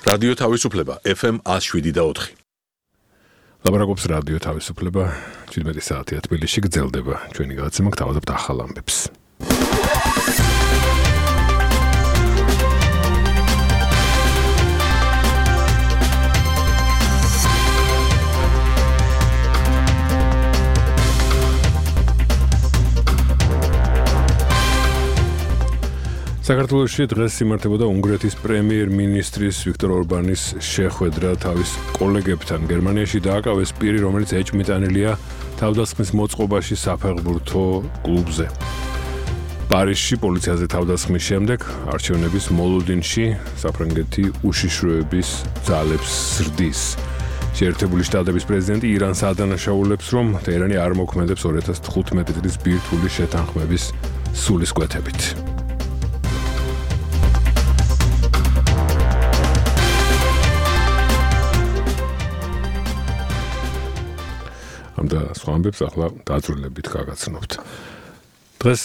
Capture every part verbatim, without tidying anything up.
რადიო თავისუფლება ეფ ემ one oh seven და four. ლაბარაკობს რადიო თავისუფლება seventeen საათია თბილისში გრძელდება ჩვენი გადაცემა გთავაზობთ ახალ ამბებს. საქართველოში დღეს იმართებოდა უნგრეთის პრემიერ-მინისტრის ვიქტორ ორბანის შეხვედრა თავის კოლეგებთან. გერმანიაში დააკავეს პირი, რომელიც ეჭვმიტანილია თავდასხმის მოწყობაში საფეხბურთო კლუბზე. პარიზში პოლიციაზე თავდასხმის შემდეგ არჩევნების მოლოდინში საფრანგეთი უშიშროების ძალებს ზრდის. შეერთებული შტატების პრეზიდენტი ირანს ადანაშაულებს, რომ ტეჰრანი არ მოქმედებს two thousand fifteen წლის ბირთვული შეთანხმების სულისკვეთებით. და სხვა ამბებს ახლა დაძრულებით გაგაცნობთ. დღეს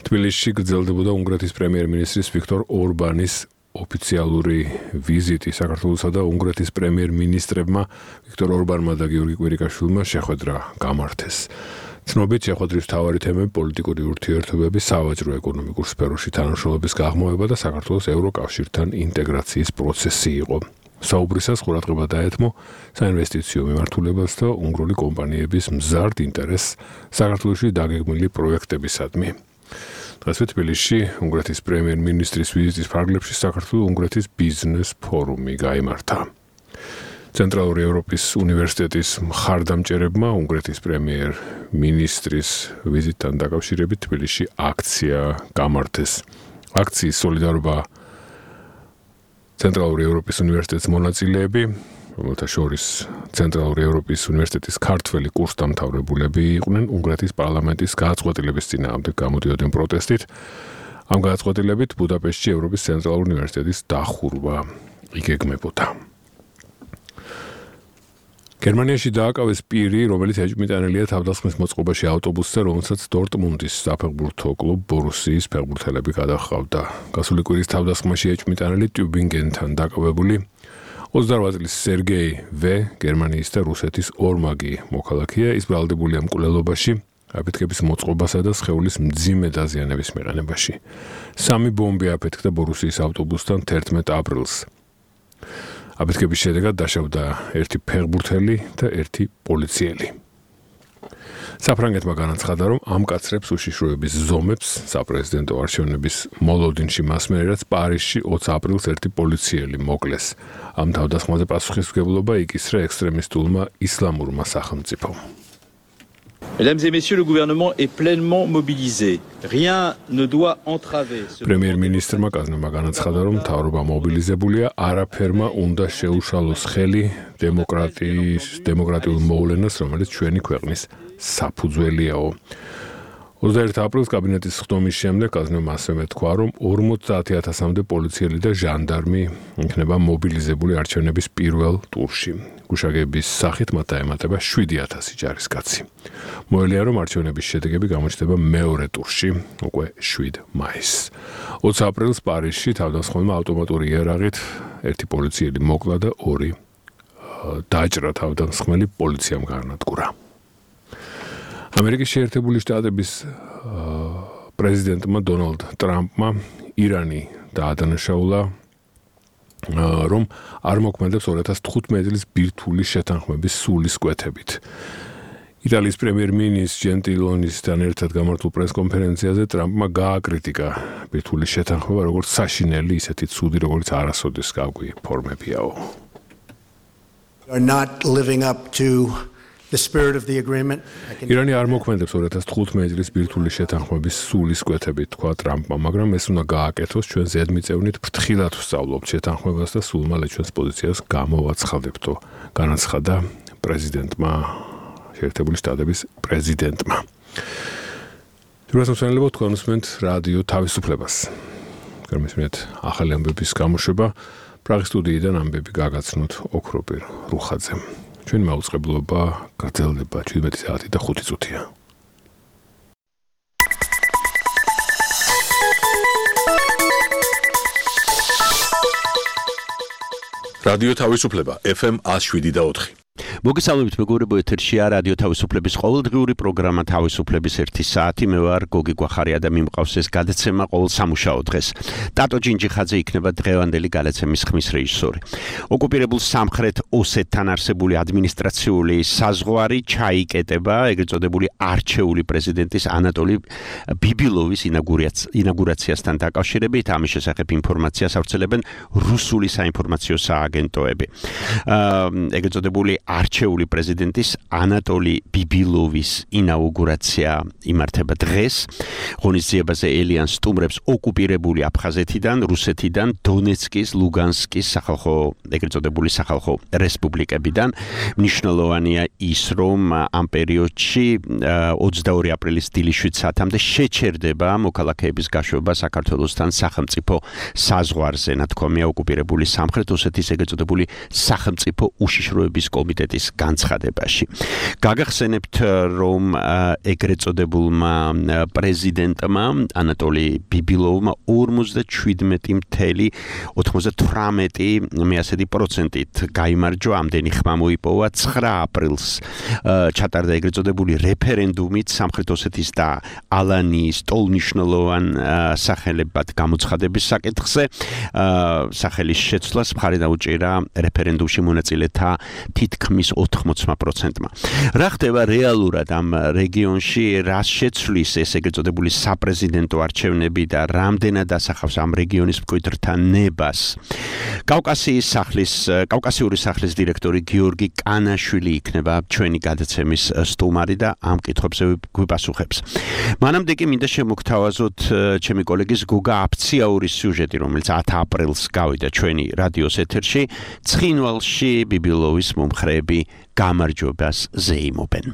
თბილისში გრძელდებოდა უნგრეთის პრემიერ-მინისტრის ვიქტორ ორბანის ოფიციალური ვიზიტი. საქართველოსა და უნგრეთის პრემიერ-მინისტრებმა ვიქტორ ორბანმა და გიორგი კვირიკაშვილმა შეხვედრა გამართეს. ცნობით შეხვედრის მთავარი თემები პოლიტიკური ურთიერთობები, სავაჭრო ეკონომიკურ სფეროში თანამშრომლობის გაღრმავება და საქართველოს ევროკავშირთან ინტეგრაციის პროცესი იყო. საუბრისას ყურადღება დაეთმო საინვესტიციო მიმართულებას და უნგრული კომპანიების მზარდ ინტერესს საქართველოში დაგეგმილი პროექტებისადმი. დღეს თბილისში უნგრეთის პრემიერ-მინისტრის ვიზიტის ფარგლებში საქართველო-უნგრეთის ბიზნეს ფორუმი გაიმართა. ცენტრალური ევროპის უნივერსიტეტის მხარდამჭერებმა უნგრეთის პრემიერ-მინისტრის ვიზიტთან დაკავშირებით თბილისში აქცია გამართეს. აქციის სოლიდარობა ცენტრალური ევროპის უნივერსიტეტის მონაწილეები, რომელთა შორის ცენტრალური ევროპის უნივერსიტეტის ქართველი კურსდამთავრებულები იყვნენ უნგრეთის პარლამენტის გადაწყვეტილების წინააღმდეგ გამოდიოდნენ პროტესტით. ამ გადაწყვეტილებით ბუდაპეშტში ევროპის ცენტრალური უნივერსიტეტის დახურვა იგეგმებოდა. გერმანიაში დააკავეს პირი, რომელიც ეჭვმიტანილია თავდასხმის მოწყობაში ავტობუსზე, რომელსაც დორტმუნდის საფეხბურთო კლუბ ბორუსიის ფეხბურთელები გადაჰყავდა. გასული კვირის თავდასხმაში ეჭვმიტანილი ტიუბინგენთან დაკავებული twenty-eight წლის სერგეი ვე, გერმანიის და რუსეთის ორმაგი მოქალაქეა, ის ბრალდებულია მკვლელობაში, აფეთქების მოწყობასა და სხეულის მძიმე დაზიანების მიყენებაში. სამი ბომბი აფეთქდა ბორუსიის ავტობუსთან eleventh აპრილს. აფეთქების შედეგად დაშავდა ერთი ფეხბურთელი და ერთი პოლიციელი. საფრანგეთმა განაცხადა, რომ ამკაცრებს უშიშროების ზომებს საპრეზიდენტო არჩევნების მოლოდინში მას მერე, რაც პარიზში twenty აპრილს ერთი პოლიციელი მოკლეს. ამ თავდასხმაზე პასუხისმგებლობა იკისრა ექსტრემისტულმა ისლამურმა სახელმწიფომ. Mesdames et messieurs, le gouvernement est pleinement mobilisé. Rien ne doit entraver ce პრემიერ-მინისტრმა კაზნებმა განაცხადა, რომ მთავრობა მობილიზებულია, არაფერმა უნდა შეუშალოს ხელი დემოკრატიის დემოკრატიულ მოვლენას, რომელიც ჩვენი ქვეყნის საფუძველიაო. twenty-first აპრილს კაბინეტის ხდომის შემდეგ კაზნებმა ასევე მეთქვა, რომ forty thousand-მდე პოლიციელი და ჟანდარმი იქნება მობილიზებული არჩევნების პირველ ტურში. გუშაგების სახით მათ დაემატება seven thousand ჯარისკაცი. მოელია, რომ არჩევნების შედეგები გამოჩნდება მეორე ტურში, უკვე seven მაისს. twenty აპრილს პარიზში თავდასხმელმა ავტომატური იარაღით ერთი პოლიციელი მოკლა და ორი დაჭრა თავდასხმელი პოლიციამ გაანადგურა. ამერიკის შეერთებული შტატების პრეზიდენტმა დონალდ ტრამპმა ირანი დაადანაშაულა, რომ არ მოქმედებს two thousand fifteen წლის ბირთვული შეთანხმების სულისკვეთებით. იტალიის პრემიერ-მინისტრის ჯენტილონისთან ერთად გამართულ პრესკონფერენციაზე ტრამპმა გააკრიტიკა ბირთვული შეთანხმება როგორც საშინელი, ისეთი ცუდი, როგორც არასოდეს გავკვი ფორმებიაო. Are not living up to the spirit of the agreement. ირანი არ მოქმედებს two thousand fifteen წლის ბირთვული შეთანხმების სულისკვეთებით, თქვა ტრამპმა, მაგრამ ეს უნდა გააკეთოს, ჩვენ ზედმიწევნით ფრთხილად ვსწავლობთ შეთანხმებას და სულ მალე ჩვენს პოზიციას გამოვაცხადებთო, განაცხადა პრეზიდენტმა, შეერთებული შტატების პრეზიდენტმა. თუმცა თქვენ უსმენთ რადიო თავისუფლებას. გამისმენთ ახალი ამბების გამოშვება, პრაღის სტუდიიდან ამბები გაგაცნოთ ოქროპირ რუხაძემ. ჩვენი მაუწყებლობა გრძელდება seventeen საათი და five წუთია. რადიო თავისუფლება ეფ ემ one oh seven და four. მოგესალმებით მეგობრებო, ეთერშია რადიო თავისუფლების ყოველდღიური პროგრამა თავისუფლების ერთი საათი. მე ვარ გოგი გვახარია და მიმყავს ეს გადაცემა ყოველ სამუშაო დღეს. ტატო ჯინჯიხაძე იქნება დღევანდელი გადაცემის ხმის რეჟისორი. ოკუპირებულ სამხრეთ ოსეთთან არსებული ადმინისტრაციული საზღვარი ჩაიკეტება ეგრეთ წოდებული არჩეული პრეზიდენტის ანატოლი ბიბილოვის ინაგურაციასთან დაკავშირებით. ამის შესახებ ინფორმაციას ავრცელებენ რუსული საინფორმაციო სააგენტოები. ეგრეთ წოდებული არჩეული პრეზიდენტის ანატოლი ბიბილოვის ინაუგურაცია იმართება დღეს. ღონისძიებაზე ელიან სტუმრებს ოკუპირებული აფხაზეთიდან, რუსეთიდან, დონეცკის, ლუგანსკის სახალხო, ეგრეთ წოდებული სახალხო რესპუბლიკებიდან. მნიშვნელოვანია ის, რომ ამ პერიოდში ოცდაორი აპრილის დილის შვიდ საათამდე შეჩერდება მოქალაქეების გაშვება საქართველოსთან სახელმწიფო საზღვარზე. ნათქვამია ოკუპირებული სამხრეთ ოსეთის ეგრეთ წოდებული სახელმწიფო უშიშროების კომიტეტის განცხადებაში. გაგახსენებთ, რომ ეგრეთ წოდებულმა პრეზიდენტმა ანატოლი ბიბილოვმა ორმოცდაშვიდმეტი კoma ოცდათვრამეტი პროცენტით გაიმარჯვა. ამდენი ხმა მოიპოვა ცხრა აპრილს ჩატარდა ეგრეთ წოდებული რეფერენდუმით სამხრეთ ოსეთის და ალანიის ტოლნიშნულოვან სახელებად გამოცხადების საკითხზე. სახელის შეცვლას მხარი დაუჭირა რეფერენდუმში მონაწილეთა თითქმის ოთხმოცდა პროცენტმა. რა ხდება რეალურად ამ რეგიონში, რას შეცვლის ეს ეგრეთ წოდებული საპრეზიდენტო არჩევნები და რამდენად ასახავს ამ რეგიონის მკვიდრთა ნებას. კავკასიის სახლის, კავკასიური სახლის დირექტორი გიორგი კანაშვილი იქნება ჩვენი გადაცემის სტუმარი და ამ კითხვებზე გვიპასუხებს. მანამდე კი მინდა შემოგთავაზოთ ჩემი კოლეგის გუგა აფციაურის სიუჟეტი, რომელიც ათი აპრილს გავიდა ჩვენი რადიოს ეთერში. ცხინვალში ბიბილოვის მომხრეები გამარჯვებას ზეიმობენ.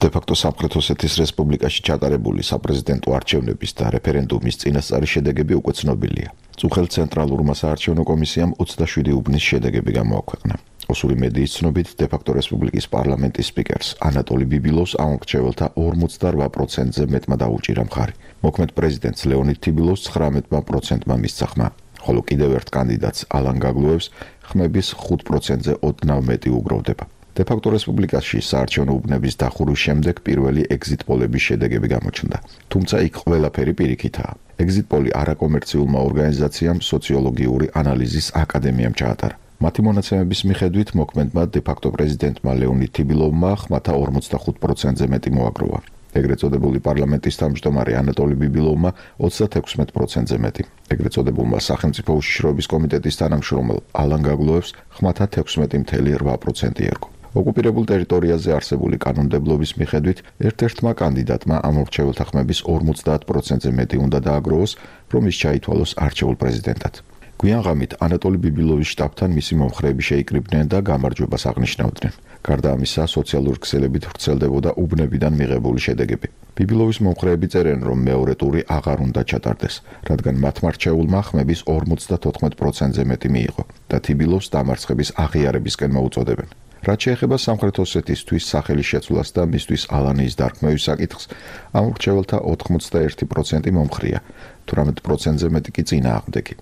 De facto სამხრეთ ოსეთის რესპუბლიკაში ჩატარებული საპრეზიდენტო არჩევნების და რეფერენდუმის წინასწარი შედეგები უკვე ცნობილია. წუხელ ცენტრალურმა საარჩევნო კომისიამ ოცდაშვიდი უბნის შედეგები გამოაქვეყნა. ოსური მედიის ცნობით, de facto რესპუბლიკის პარლამენტის სპიკერს ანატოლი ბიბილოვს ამ მრჩეველთა ორმოცდარვა პროცენტზე მეტმა დაუჭირა მხარი. მოქმედ პრეზიდენტს ლეონიდ თიბილოვს ცხრამეტ პროცენტმა მისცა ხმა. ხოლო კიდევ ერთ კანდიდატს ალან გაგლუევს ხმების ხუთ პროცენტზე ოდნავ მეტი უგროვდება. De facto რესპუბლიკაში საარჩევნო უბნების დახურვის შემდეგ პირველი exit polების შედეგები გამოჩნდა. თუმცა იქ ყველაფერი პირიქითაა. exit poll არაკომერციულმა ორგანიზაციამ სოციოლოგიური ანალიზის აკადემიამ ჩაატარა. მათი მონაცემების მიხედვით მოქმედმა de facto პრეზიდენტმა ლეონიდ თიბილოვმა ხმათა ორმოცდახუთ პროცენტზე მეტი მოაგროვა. ეგრეთ წოდებული პარლამენტის თავმჯდომარე ანატოლი ბიბილოვმა ოცდათექვსმეტ პროცენტზე მეტი. ეგრეთ წოდებულმა სახელმწიფო უშიშროების კომიტეტის თანამშრომელ ალან გაგლუევს ხმათა თექვსმეტი კoma რვა პროცენტი ერგო. ოკუპირებულ ტერიტორიაზე არსებული კანონმდებლობის მიხედვით ერთ-ერთმა კანდიდატმა ამ მრჩეველთა ხმების ორმოცდაათ პროცენტზე მეტი უნდა დააგროვოს, რომ ის ჩაითვალოს არჩეულ პრეზიდენტად. გვიან ღამით ანატოლი ბიბილოვის შტაბთან მისი მომხრეები შეიკრიბნენ და გამარჯვებას აღნიშნავდნენ. გარდა ამისა, სოციალური ქსელებით ვრცელდებოდა უბნებიდან მიღებული შედეგები. ბიბილოვის მომხრეები წერენ, რომ მეორე ტური აღარ უნდა ჩატარდეს, რადგან მათმა რჩეულმა ხმების ორმოცდათოთხმეტ პროცენტზე მეტი მიიღო და თიბილოვს დამარცხების აღიარებისკენ მოუწოდებენ. რაც შეეხება სამხრეთ ოსეთისთვის სახელის შეცვლას და მისთვის ალანიის დარქმევის საკითხს, ამ მრჩეველთა ოთხმოცდაერთი პროცენტი მომხრეა, თვრამეტ პროცენტზე მეტი კი წინააღმდეგი.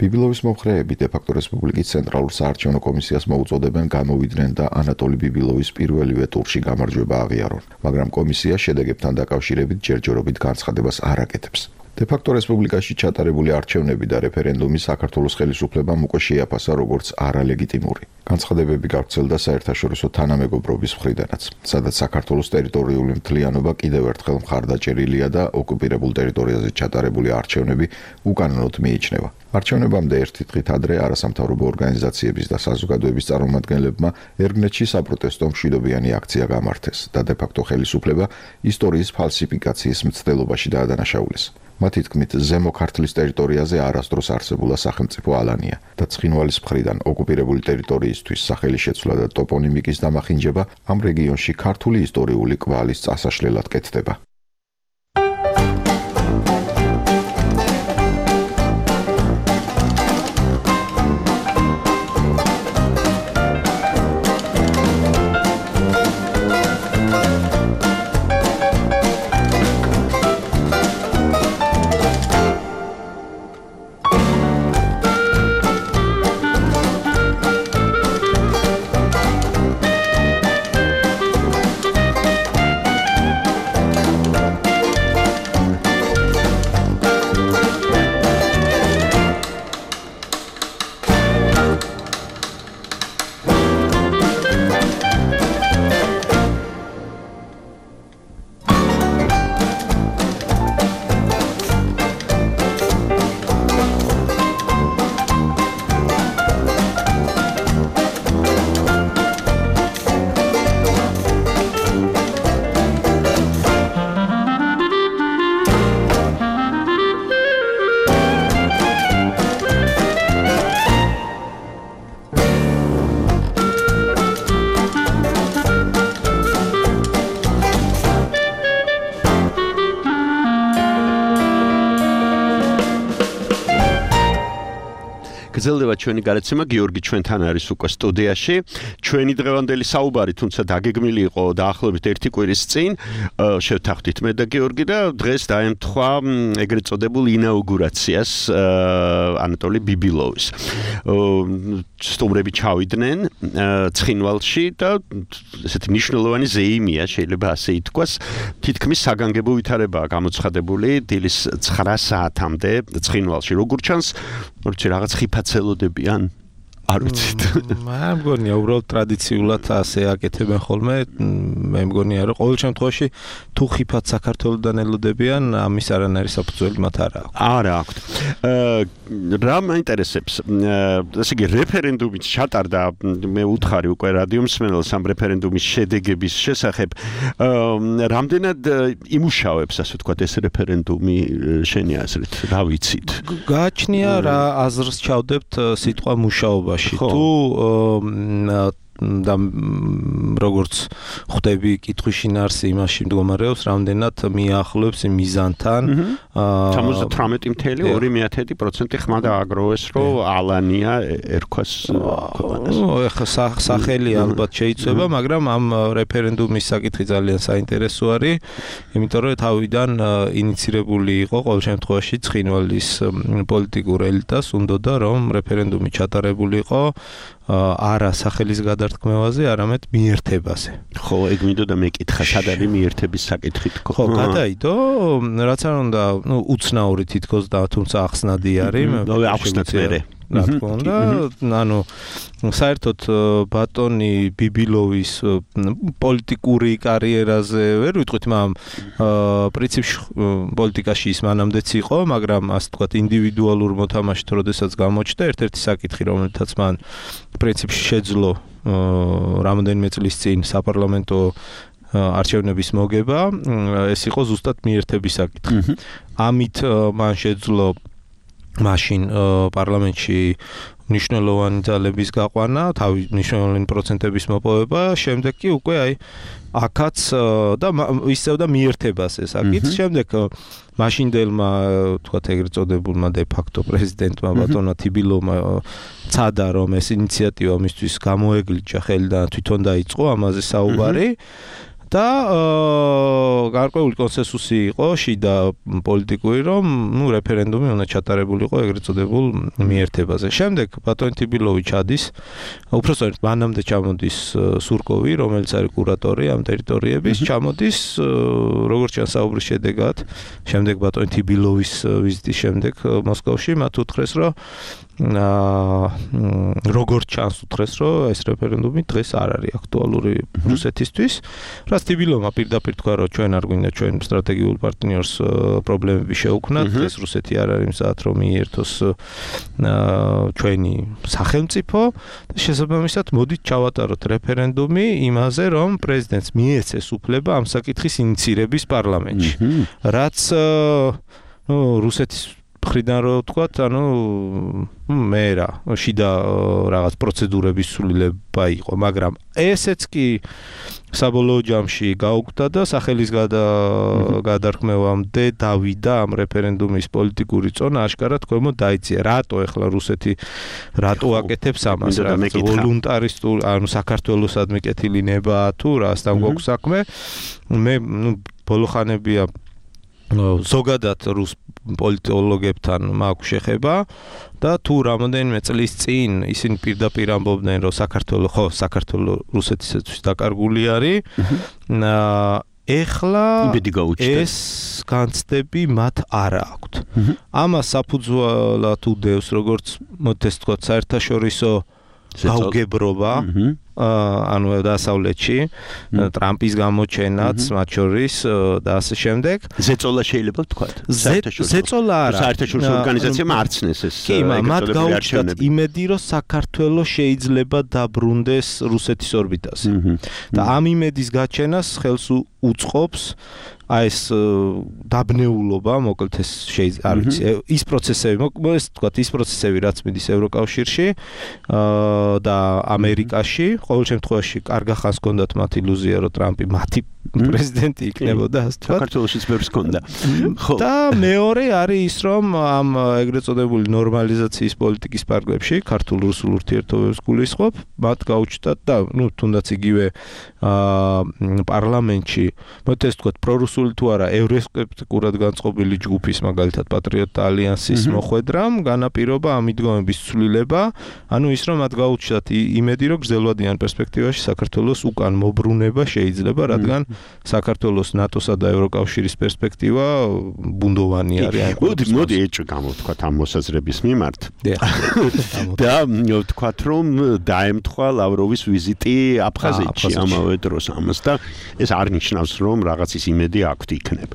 ბიბილოვის მომხრეები de facto რესპუბლიკის ცენტრალურ საარჩევნო კომისიას მოუწოდებენ გამოვიდნენ და ანატოლი ბიბილოვის პირველივე ტურში გამარჯვება აღიარონ, მაგრამ კომისია შედეგებთან დაკავშირებით ჯერჯერობით განცხადებას არ აკეთებს. De facto რესპუბლიკაში ჩატარებული არჩევნები და რეფერენდუმი საქართველოს ხელისუფლებამ უკვე შეაფასა როგორც არალეგიტიმური. განცხადებები გავრცელდა საერთაშორისო თანამეგობრობის მხრიდანაც, სადაც საქართველოს ტერიტორიული მთლიანობა კიდევ ერთხელ მხარდაჭერილია და ოკუპირებულ ტერიტორიაზე ჩატარებული არჩევნები უკანონოდ მიიჩნევა. არჩევნებამდე ერთი დღით ადრე არასამთავრობო ორგანიზაციების და საზოგადოების წარმომადგენლებმა ერგნეთში საპროტესტო მშვიდობიანი აქცია გამართეს და de facto ხელისუფლება ისტორიის ფალსიფიკაციის მცდელობაში დაადანაშაულეს. მათი თქმით, ზემო ქართლის ტერიტორიაზე არასდროს არსებულა სახელმწიფო ალანია და ცხინვალის მხრიდან ოკუპირებული ტერიტორიისთვის სახელის შეცვლა და ტოპონიმიკის დამახინჯება ამ რეგიონში ქართული ისტორიული კვალის წასაშლელად კეთდება. გაგრძელდება ჩვენი გადაცემა, გიორგი ჩვენთან არის უკვე სტუდიაში. ჩვენი დღევანდელი საუბარი თუმცა დაგეგმილი იყო დაახლოებით ერთი კვირის წინ. შევთანხმდით მე და გიორგი და დღეს დაემთხვა ეგრეთ წოდებულ ინაუგურაციას ანატოლი ბიბილოვის. სტუმრები ჩავიდნენ ცხინვალში და ესეთი მნიშვნელოვანი ზეიმია, შეიძლება ასე ითქვას, თითქმის საგანგებო ვითარებაა გამოცხადებული დილის ცხრა საათამდე ცხინვალში. როგორ ჩანს, როცა რაღაც ხიფაცელოდებიან არ ვიცით. მე მგონია უბრალოდ ტრადიციულად ასე აკეთებენ ხოლმე. მე მგონია რომ ყოველ შემთხვევაში თუ ხიფად საქართველოსდან ელოდებიან, ამის არანაირი საფუძველი მათ არ აქვს. არა აქვს. რა მაინტერესებს, ესე იგი რეფერენდუმით ჩატარდა, მე უთხარი უკვე რადიო მსმენელს ამ რეფერენდუმის შედეგების შესახებ. რამდენად იმუშავებს, ასე ვთქვათ, ეს რეფერენდუმი შენი აზრით, რა ვიცით? გააჩნია რა აზრს ჩავდებთ სიტყვა მუშაობა. თუ და როგორც ხვდები კითხვის შინაარსი იმაში მდგომარეობს, რამდენად მიახლოებს მიზანთან. სამოცდათვრამეტი წუთი ორი პროცენტი ხმა დააგროვეს, რომ ალანია ერქვას ქვეყანას. ეხლა სახელი ალბათ შეიცვება, მაგრამ ამ რეფერენდუმის საკითხი ძალიან საინტერესო არის, იმიტომ რომ თავიდან ინიცირებული იყო ყოველ შემთხვევაში ცხინვალის პოლიტიკურ ელიტას უნდოდა რომ რეფერენდუმი ჩატარებულიყო არა სახელის გადართქმევაზე, არამედ მიერთებაზე. ხო, ეგ მინდოდა მეკითხა, სად არის მიერთების საკითხი თქო. ხო, გადაიდო, რაც არ უნდა, ნუ უცნაური თითქოს და თუმცა ახსნადი არის. ახსნათ მერე. რა თქმა უნდა, ანუ საერთოდ ბატონი ბიბილოვის პოლიტიკური კარიერაზე ვერ ვიტყვით, მაგრამ პრინციპში პოლიტიკაში ის მანამდეც იყო, მაგრამ ასე ვთქვათ, ინდივიდუალურ მოთამაშით როდესაც გამოჩნდა, ერთ-ერთი საკითხი, რომელთაც მან პრინციპში შეძლო რამდენიმე წლის წინ საპარლამენტო არჩევნების მოგება, ეს იყო ზუსტად მიერთების საკითხი. ამით მან შეძლო მაშინ პარლამენტში მნიშვნელოვანი ძალების გაყვანა, თავი მნიშვნელოვანი პროცენტების მოპოვება, შემდეგ კი უკვე აი აქაც და ისევ და მიერთებას ეს აკიც, შემდეგ მაშინდელმა თქვათ ეგრეთ წოდებულმა დე ფაქტო პრეზიდენტმა ბატონმა თიბილოვმა ცადა რომ ეს ინიციატივა მისთვის გამოეგლიჯა ხელი და თვითონ დაიწყო ამაზე საუბარი. და გარკვეული კონსენსუსი იყო შიდა პოლიტიკური, რომ ნუ რეფერენდუმი უნდა ჩატარებულიყო ეგრეთ წოდებულ მიერთებაზე. შემდეგ ბატონი თიბილოვი ჩადის, უпростоრად მანამდე ჩამოდის სურკოვი, რომელიც არის კურატორი ამ ტერიტორიების, ჩამოდის როგორც ჩანს საუბრის შედეგად, შემდეგ ბატონი თიბილოვის ვიზიტის შემდეგ მოსკოვში მათ უთხრეს, რომ როგორც ჩანს უთხრეს, რომ ეს რეფერენდუმი დღეს არ არის აქტუალური რუსეთისთვის. თიბილოვმა პირდაპირ თქვა, რომ ჩვენ არ გვინდა ჩვენ სტრატეგიულ პარტნიორს პრობლემები შევქმნათ, ეს რუსეთი არ არის მზად რომ მიერთოს ჩვენი სახელმწიფო და შესაბამისად მოდით ჩავატაროთ რეფერენდუმი იმაზე, რომ პრეზიდენტს მიეცეს უფლება ამ საკითხის ინიცირების პარლამენტში. რაც ნუ რუსეთის მხრიდან რო ვთქვათ, ანუ მე რა, შიდა რაღაც პროცედურების სრულება იყო, მაგრამ ესეც კი საბოლოო ჯამში გაუკვდა და სახელის გადარქმევამდე დავიდა ამ რეფერენდუმის პოლიტიკური წონა აშკარად ქვემოთ დაიწია. რატო ეხლა რუსეთი რატო აკეთებს ამას? რაღაც ვოლუნტარისტულ, ანუ საქართველოსადმი კეთილი ნება თუ რასთან გვაქვს საქმე? მე ნუ ბოლო ხანებია ზოგადად რუს პოლიტოლოგებთან მაქვს შეხება და თუ რამოდენიმე წლის წინ ისინი პირდაპირ ამბობდნენ, რომ საქართველოს ხო საქართველოს რუსეთისათვის დაკარგული არის. ეხლა ეს განცდები მათ არ აქვთ. ამას საფუძვლად უდევს, როგორც მოთეს თქვა, საერთაშორისო გაუგებრობა, ანუ დასავლეთში, ტრამპის გამოჩენაც, მათ შორის და ასე შემდეგ. ზეწოლა შეიძლება ვთქვათ. ზეწოლა არა. საერთაშორისო ორგანიზაციამ არცნეს ეს. კი, მათ გაუჩნდათ იმედი, რომ საქართველოს შეიძლება დაბრუნდეს რუსეთის ორბიტაზე. და ამ იმედის გაჩენას ხელს უწყობს აი ეს დაბნეულობა, მოკლედ ეს შეიძლება არ ვიცი, ის პროცესები, მოკლედ თქვა ის პროცესები, რაც მიდის ევროკავშირში და ამერიკაში, ყოველ შემთხვევაში კარგა ხანს გონდათ მათ ილუზია, რომ ტრამპი მათი პრეზიდენტი იქნებოდა, ასე ვთქვათ. საქართველოშიც ბევრს ჰქონდა. ხო. და მეორე არის ის, რომ ამ ეგრეთ წოდებული ნორმალიზაციის პოლიტიკის პარკლებში ქართულ-რუსულ ურთიერთობებს გულისხმობ, მათ გაუჩნდათ და ნუ თუნდაც იგივე აა პარლამენტში, მოდი ეს ვთქვათ, პრორუსული თუ არა, ევროსკეპტიკურად განწყობილი ჯგუფის, მაგალითად პატრიოტთა ალიანსის მოხვედრამ განაპირობა ამ მიდგომების ცვლილება, ანუ ის რომ მათ გაუჩნდათ იმედი, რომ გრძელვადიან პერსპექტივაში საქართველოს უკან მობრუნება შეიძლება, რადგან საქართველოს ნატოსა და ევროკავშირის პერსპექტივა ბუნდოვანი არის. მოდი, მოდი ეჭვ გამოვთქვათ ამ მოსაზრების მიმართ. და ვთქვათ, რომ დაემთხვა ლავროვის ვიზიტი აფხაზეთში ამავე დროს ამას და ეს არ ნიშნავს, რომ რაღაცის იმედი აქვთ იქნებ.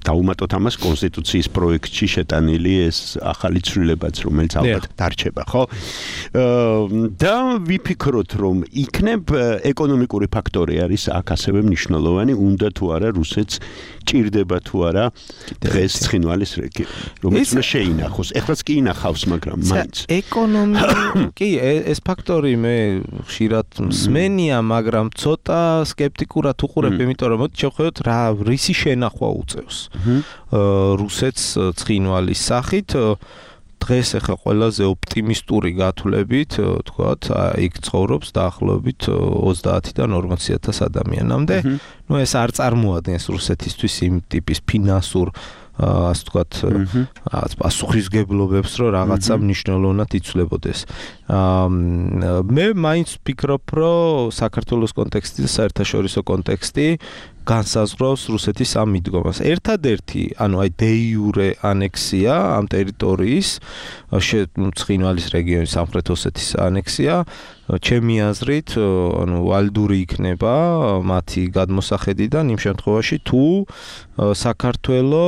დაუმატოთ ამას კონსტიტუციის პროექტში შეტანილი ეს ახალი ცვლილებაც, რომელიც ალბათ დარჩება, ხო? და ვიფიქროთ, რომ იქნებ ეკონომიკური ფაქტორი არის აქ ასევე მნიშვნელოვანი, უნდა თუ არა რუსეთს ჭირდება თუ არა დღეს ცხინვალის რეგიონი, რომელიც უნდა შეინახოს. ეხლაც კი ინახავს, მაგრამ მაინც. ეკონომიკა, კი, ეს ფაქტორი მე ხშირად მსმენია, მაგრამ ცოტა სკეპტიკურად უყურებ, იმიტომ რომ მოდი შევხედოთ რა რისი შენახვა უწევს რუსეთს ცხინვალის სახით. დღეს ახლა ყველაზე ოპტიმისტური გათვლებით, თქვათ, იქ ცხოვრობს დაახლოებით ოცდაათიდან ორმოცი ათას ადამიანამდე. ნუ ეს არ წარმოადგენს რუსეთისთვის იმ ტიპის ფინანსურ ასე ვთქვათ, პასუხისგებლობებს, რომ რაღაცა მნიშვნელოვნად იცვლებოდეს. მე მაინც ვფიქრობ, რომ საქართველოს კონტექსტი და საერთაშორისო კონტექსტი განსაზღვრავს რუსეთის ამ მიდგომას. ერთადერთი, ანუ აი დე იურე ანექსია ამ ტერიტორიის, ცხინვალის რეგიონის სამხრეთ ოსეთის ანექსია, ჩემი აზრით, ანუ ვალდური იქნება მათი გადმოსახედიდან იმ შემთხვევაში, თუ საქართველო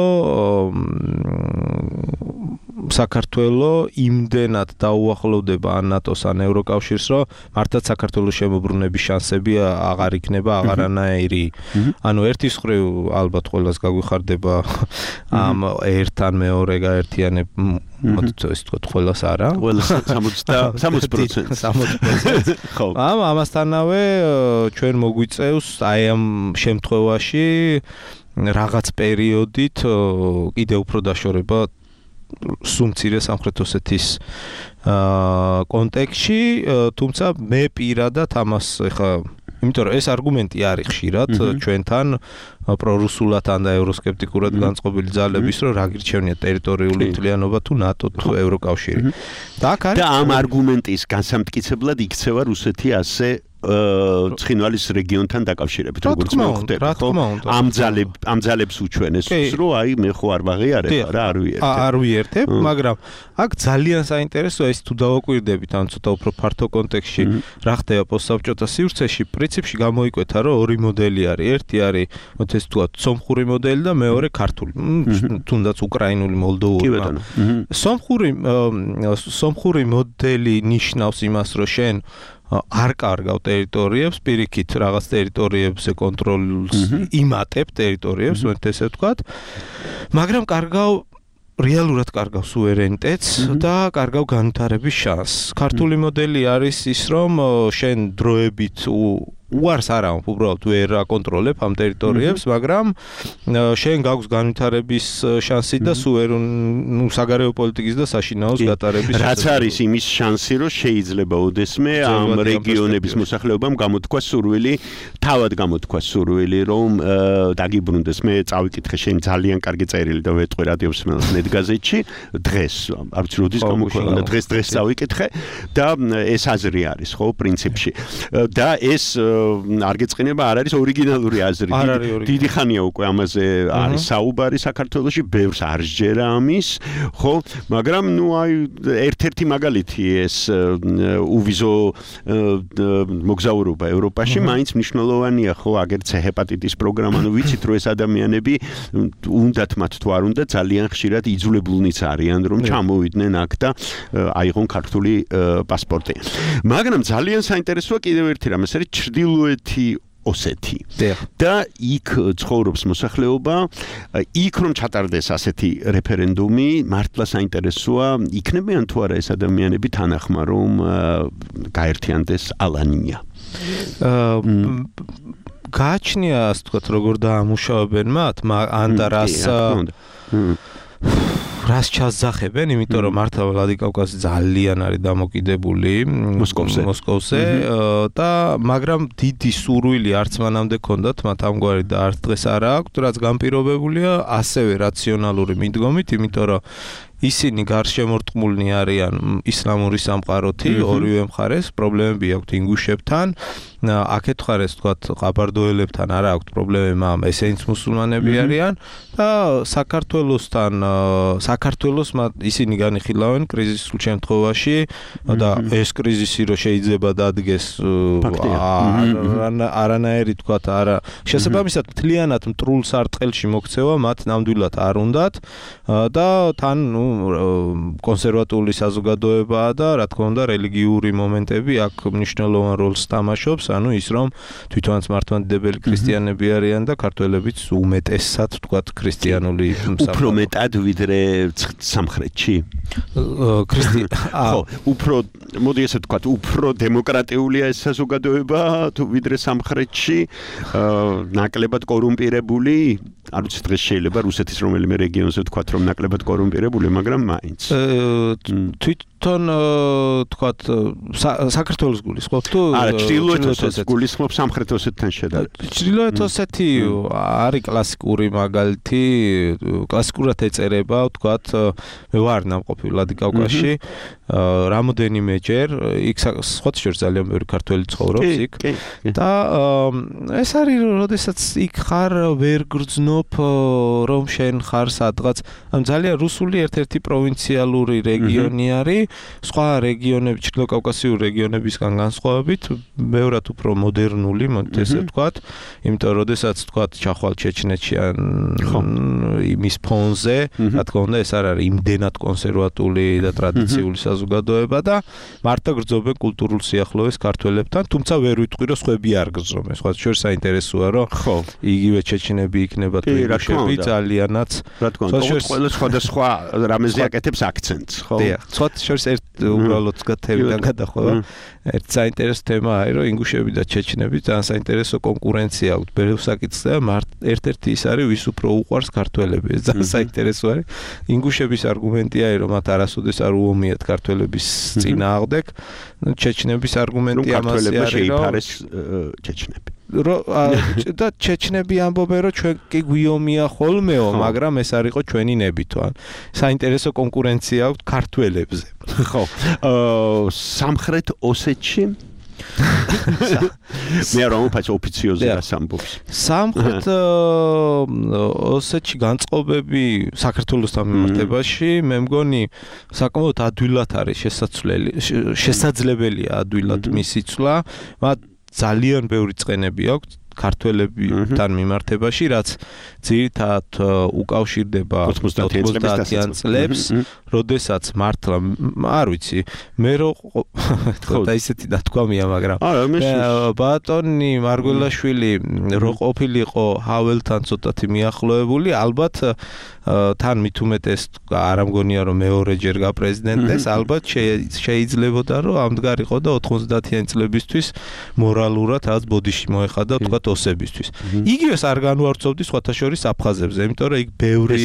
საქართველო იმდენად დაუახლოვდება ან ნატოს ან ევროკავშირს, რომ მართლაც საქართველოს შემოbrunების შანსები აღარ იქნება აღარანაირი. ანუ ერთის მხრივ ალბათ ყველას გაგვიხარდება ამ ერთ ან მეორე გაერთიანებ მოდით ეს თქვა ყველას არა. ყველას სამოცდა პროცენტი. ხო. ამ ამასთანავე ჩვენ მოგვიწევს აი ამ შემთხვევაში რაღაც პერიოდით კიდევ უფრო დაშორება სუმცირე სამხრეთ ოსეთის კონტექსტში, თუმცა მე პირადად ამას ეხა იმიტომ რომ ეს არგუმენტი არის ხშირად ჩვენთან პრორუსულად ან და ევროსკეპტიკურად განწყობილი ძალების, რომ რა გირჩევნია ტერიტორიული მთლიანობა თუ ნატო თუ ევროკავშირი. და აქ არის და ამ არგუმენტის განსამტკიცებლად იქცევა რუსეთი ასე ცხინვალის რეგიონთან დაკავშირებით, როგორც მოხდება, ხო? ამ ძალებ ამ ძალებს უჩვენეს, რომ აი მე ხო არ ვაღიარებ რა, არ ვიერთებ. არ ვიერთებ, მაგრამ აქ ძალიან საინტერესოა ის თუ დავაკვირდებით ან ცოტა უფრო ფართო კონტექსტში რა ხდება პოსტსაბჭოთა სივრცეში, პრინციპში გამოიკვეთა, რომ ორი მოდელი არის. ერთი არის, მოდი ეს თქვა, სომხური მოდელი და მეორე ქართული, თუნდაც უკრაინული, მოლდოვური. სომხური სომხური მოდელი ნიშნავს იმას, რომ შენ არ კარგავ ტერიტორიებს, პირიქით რაღაც ტერიტორიებზე კონტროლს იმატებ ტერიტორიებს, მოდი ესე ვთქვათ, მაგრამ კარგავ რეალურად კარგავ სუვერენიტეტს და კარგავ განვითარების შანსს. ქართული მოდელი არის ის, რომ შენ დროებით უარს არა, უბრალოდ ვერ აკონტროლებ ამ ტერიტორიებს, მაგრამ შენ გაქვს განვითარების შანსი და სუვერ ნუ საგარეო პოლიტიკის და საშინაოს გატარების შანსი. რაც არის იმის შანსი, რომ შეიძლება ოდესმე ამ რეგიონების მოსახლეობამ გამოთქვა სურვილი, თავად გამოთქვა სურვილი, რომ დაგიბრუნდეს. მე წავიკითხე შენ ძალიან კარგი წერილი და ვეტყვი რადიოსმენელს ნეტგაზეთში დღეს, არ ვიცი როდის გამოქვეყნდა, დღეს დღეს წავიკითხე და ეს აზრი არის, ხო, პრინციპში. და ეს არ გეწყინება, არ არის ორიგინალური აზრი. დიდი ხანია უკვე ამაზე არის საუბარი საქართველოში, ბევრს არ სჯერა ამის, ხო? მაგრამ ნუ აი ერთ-ერთი მაგალითი ეს უვიზო მოგზაურობა ევროპაში მაინც მნიშვნელოვანია, ხო? აგერც ჰეპატიტის პროგრამა, ნუ ვიცით რომ ეს ადამიანები უნდათ მათ თუ არ უნდა ძალიან ხშირად იძულებულნიც არიან რომ ჩამოვიდნენ აქ და აიღონ ქართული პასპორტი. მაგრამ ძალიან საინტერესოა კიდევ ერთი რამ, ეს არის ჩრდილოეთი ოსეთი. და იქ ცხოვრობს მოსახლეობა, იქ რომ ჩატარდეს ასეთი რეფერენდუმი, მართლა საინტერესოა, იქნებიან თუ არა ეს ადამიანები თანახმა რომ გაერთიანდეს ალანია. გააჩნია ასე ვთქვათ, როგორ დაამუშავებენ მათ, ან და რას რას ჩასძახებენ, იმიტომ რომ მართლა ვლადიკავკაზი ძალიან არის დამოკიდებული მოსკოვზე, მოსკოვზე და მაგრამ დიდი სურვილი არც მანამდე ქონდათ მათ ამგვარი და არც დღეს არ აქვს, რაც განპირობებულია ასევე რაციონალური მიდგომით, იმიტომ რომ ისინი გარშემორტყმულნი არიან ისლამური სამყაროთი, ორივე მხარეს პრობლემები აქვთ ინგუშებთან, აქეთ მხარეს თქვათ ყაბარდოელებთან არ აქვთ პრობლემები, ამ ესენიც მუსულმანები არიან და საქართველოსთან საქართველოს ისინი განიხილავენ კრიზისულ შემთხვევაში და ეს კრიზისი რო შეიძლება დადგეს არანაირი თქვათ არა შესაბამისად მთლიანად მტრულ სარტყელში მოქცევა მათ ნამდვილად არ უნდათ და თან ნუ კონსერვატული საზოგადოებაა და რა თქმა უნდა რელიგიური მომენტები აქ მნიშვნელოვან როლს თამაშობს, ანუ ის რომ თვითონაც მართლმადიდებელი ქრისტიანები არიან და ქართველებიც უმეტესად თქვათ ქრისტიანული უფრო მეტად ვიდრე სამხრეთში. ხო, უფრო მოდი ესე ვთქვათ, უფრო დემოკრატიულია ეს საზოგადოება თუ ვიდრე სამხრეთში, ნაკლებად კორუმპირებული, არ ვიცი დღეს შეიძლება რუსეთის რომელიმე რეგიონზე ვთქვათ რომ ნაკლებად კორუმპირებული, მაგრამ მაინც. თვითონ თქვათ საქართველოს გულისხმობ თუ არა, ჩრდილოეთ ოსეთს გულისხმობ სამხრეთ ოსეთთან შედარებით. ჩრდილოეთ ოსეთი არის კლასიკური მაგალითი, კლასიკურად ეწერება, ვთქვათ, მე ვარ ნამყოფი ვლადიკავკაზში, რამოდენიმეჯერ, იქ სხვათა შორის ძალიან ბევრი ქართველი ცხოვრობს იქ და ეს არის, როდესაც იქ ხარ ვერ გრძნობ რომ შენ ხარ სადღაც, ამ ძალიან რუსული ერთ-ერთი პროვინციალური რეგიონი არის, სხვა რეგიონები, ჩრდილოკავკასიური რეგიონებისგან განსხვავებით, ბევრად უფრო მოდერნული, მოდით ესე ვთქვათ, იმიტომ რომ როდესაც ვთქვათ ჩახვალ ჩეჩნეთში ან იმის ფონზე, რა თქმა უნდა ეს არ არის იმდენად კონსერვატული და ტრადიციული საზოგადოება და მარტო გრძობენ კულტურულ სიახლოვეს ქართველებთან, თუმცა ვერ ვიტყვი რომ სხვები არ გრძნობენ. სხვა შორის საინტერესოა რომ იგივე ჩეჩნები იქნება თუ ინგუშები ძალიანაც რა თქმა უნდა ყველა სხვადასხვა რამეზე აკეთებს აქცენტს, ხო? დიახ, სხვა შორის ერთ უბრალოდ თემიდან გადახვევა. ერთ საინტერესო თემა არის რომ ინგუშები და ჩეჩნები ძალიან საინტერესო კონკურენცია აქვთ ბევრ საკითხზე და ერთ-ერთი ის არის ვის უფრო უყვარს ქართველები. ეს ძალიან საინტერესო არის. ინგუშების არგუმენტია არის რომ მათ არასოდეს არ უომიათ ქართველების წინააღმდეგ. ჩეჩნების არგუმენტი ამაზე არის რომ ჩეჩნები და ჩეჩნები ამბობენ რომ ჩვენ კი გვიომია ხოლმეო, მაგრამ ეს არ იყო ჩვენი ნებითო. საინტერესო კონკურენცია აქვთ ქართველებზე. ხო. სამხრეთ ოსეთში მე არ ვამბობ ოფიციოზი რას ამბობს. სამხრეთ ოსეთში განწყობები საქართველოსთან მიმართებაში მე მგონი საკმაოდ ადვილად არის შესაძლებელი, შესაძლებელია ადვილად მისი ცვლა, მათ ძალიან ბევრი წყენები აქვს ქართველებთან მიმართებაში, რაც ძირითადად უკავშირდება ოცდაათიან წლებს, როდესაც მართლა არ ვიცი, მე რო და ისეთი დათქვამია, მაგრამ ბატონი მარგველაშვილი რო ყოფილიყო ჰაველთან ცოტათი მიახლოებული, ალბათ თან მით უმეტეს არ ამგონია რომ მეორეჯერ გაპრეზიდენტეს, ალბათ შეიძლებოდა რომ ამდღარიყო და ოცდაათიან წლებისთვის მორალურად რაც ბოდიში მოეხადა თქვა ოსებისთვის. იგივეს არ განვარცხობდი სხვათა შორის აფხაზებზე, იმიტომ რომ იქ ბევრი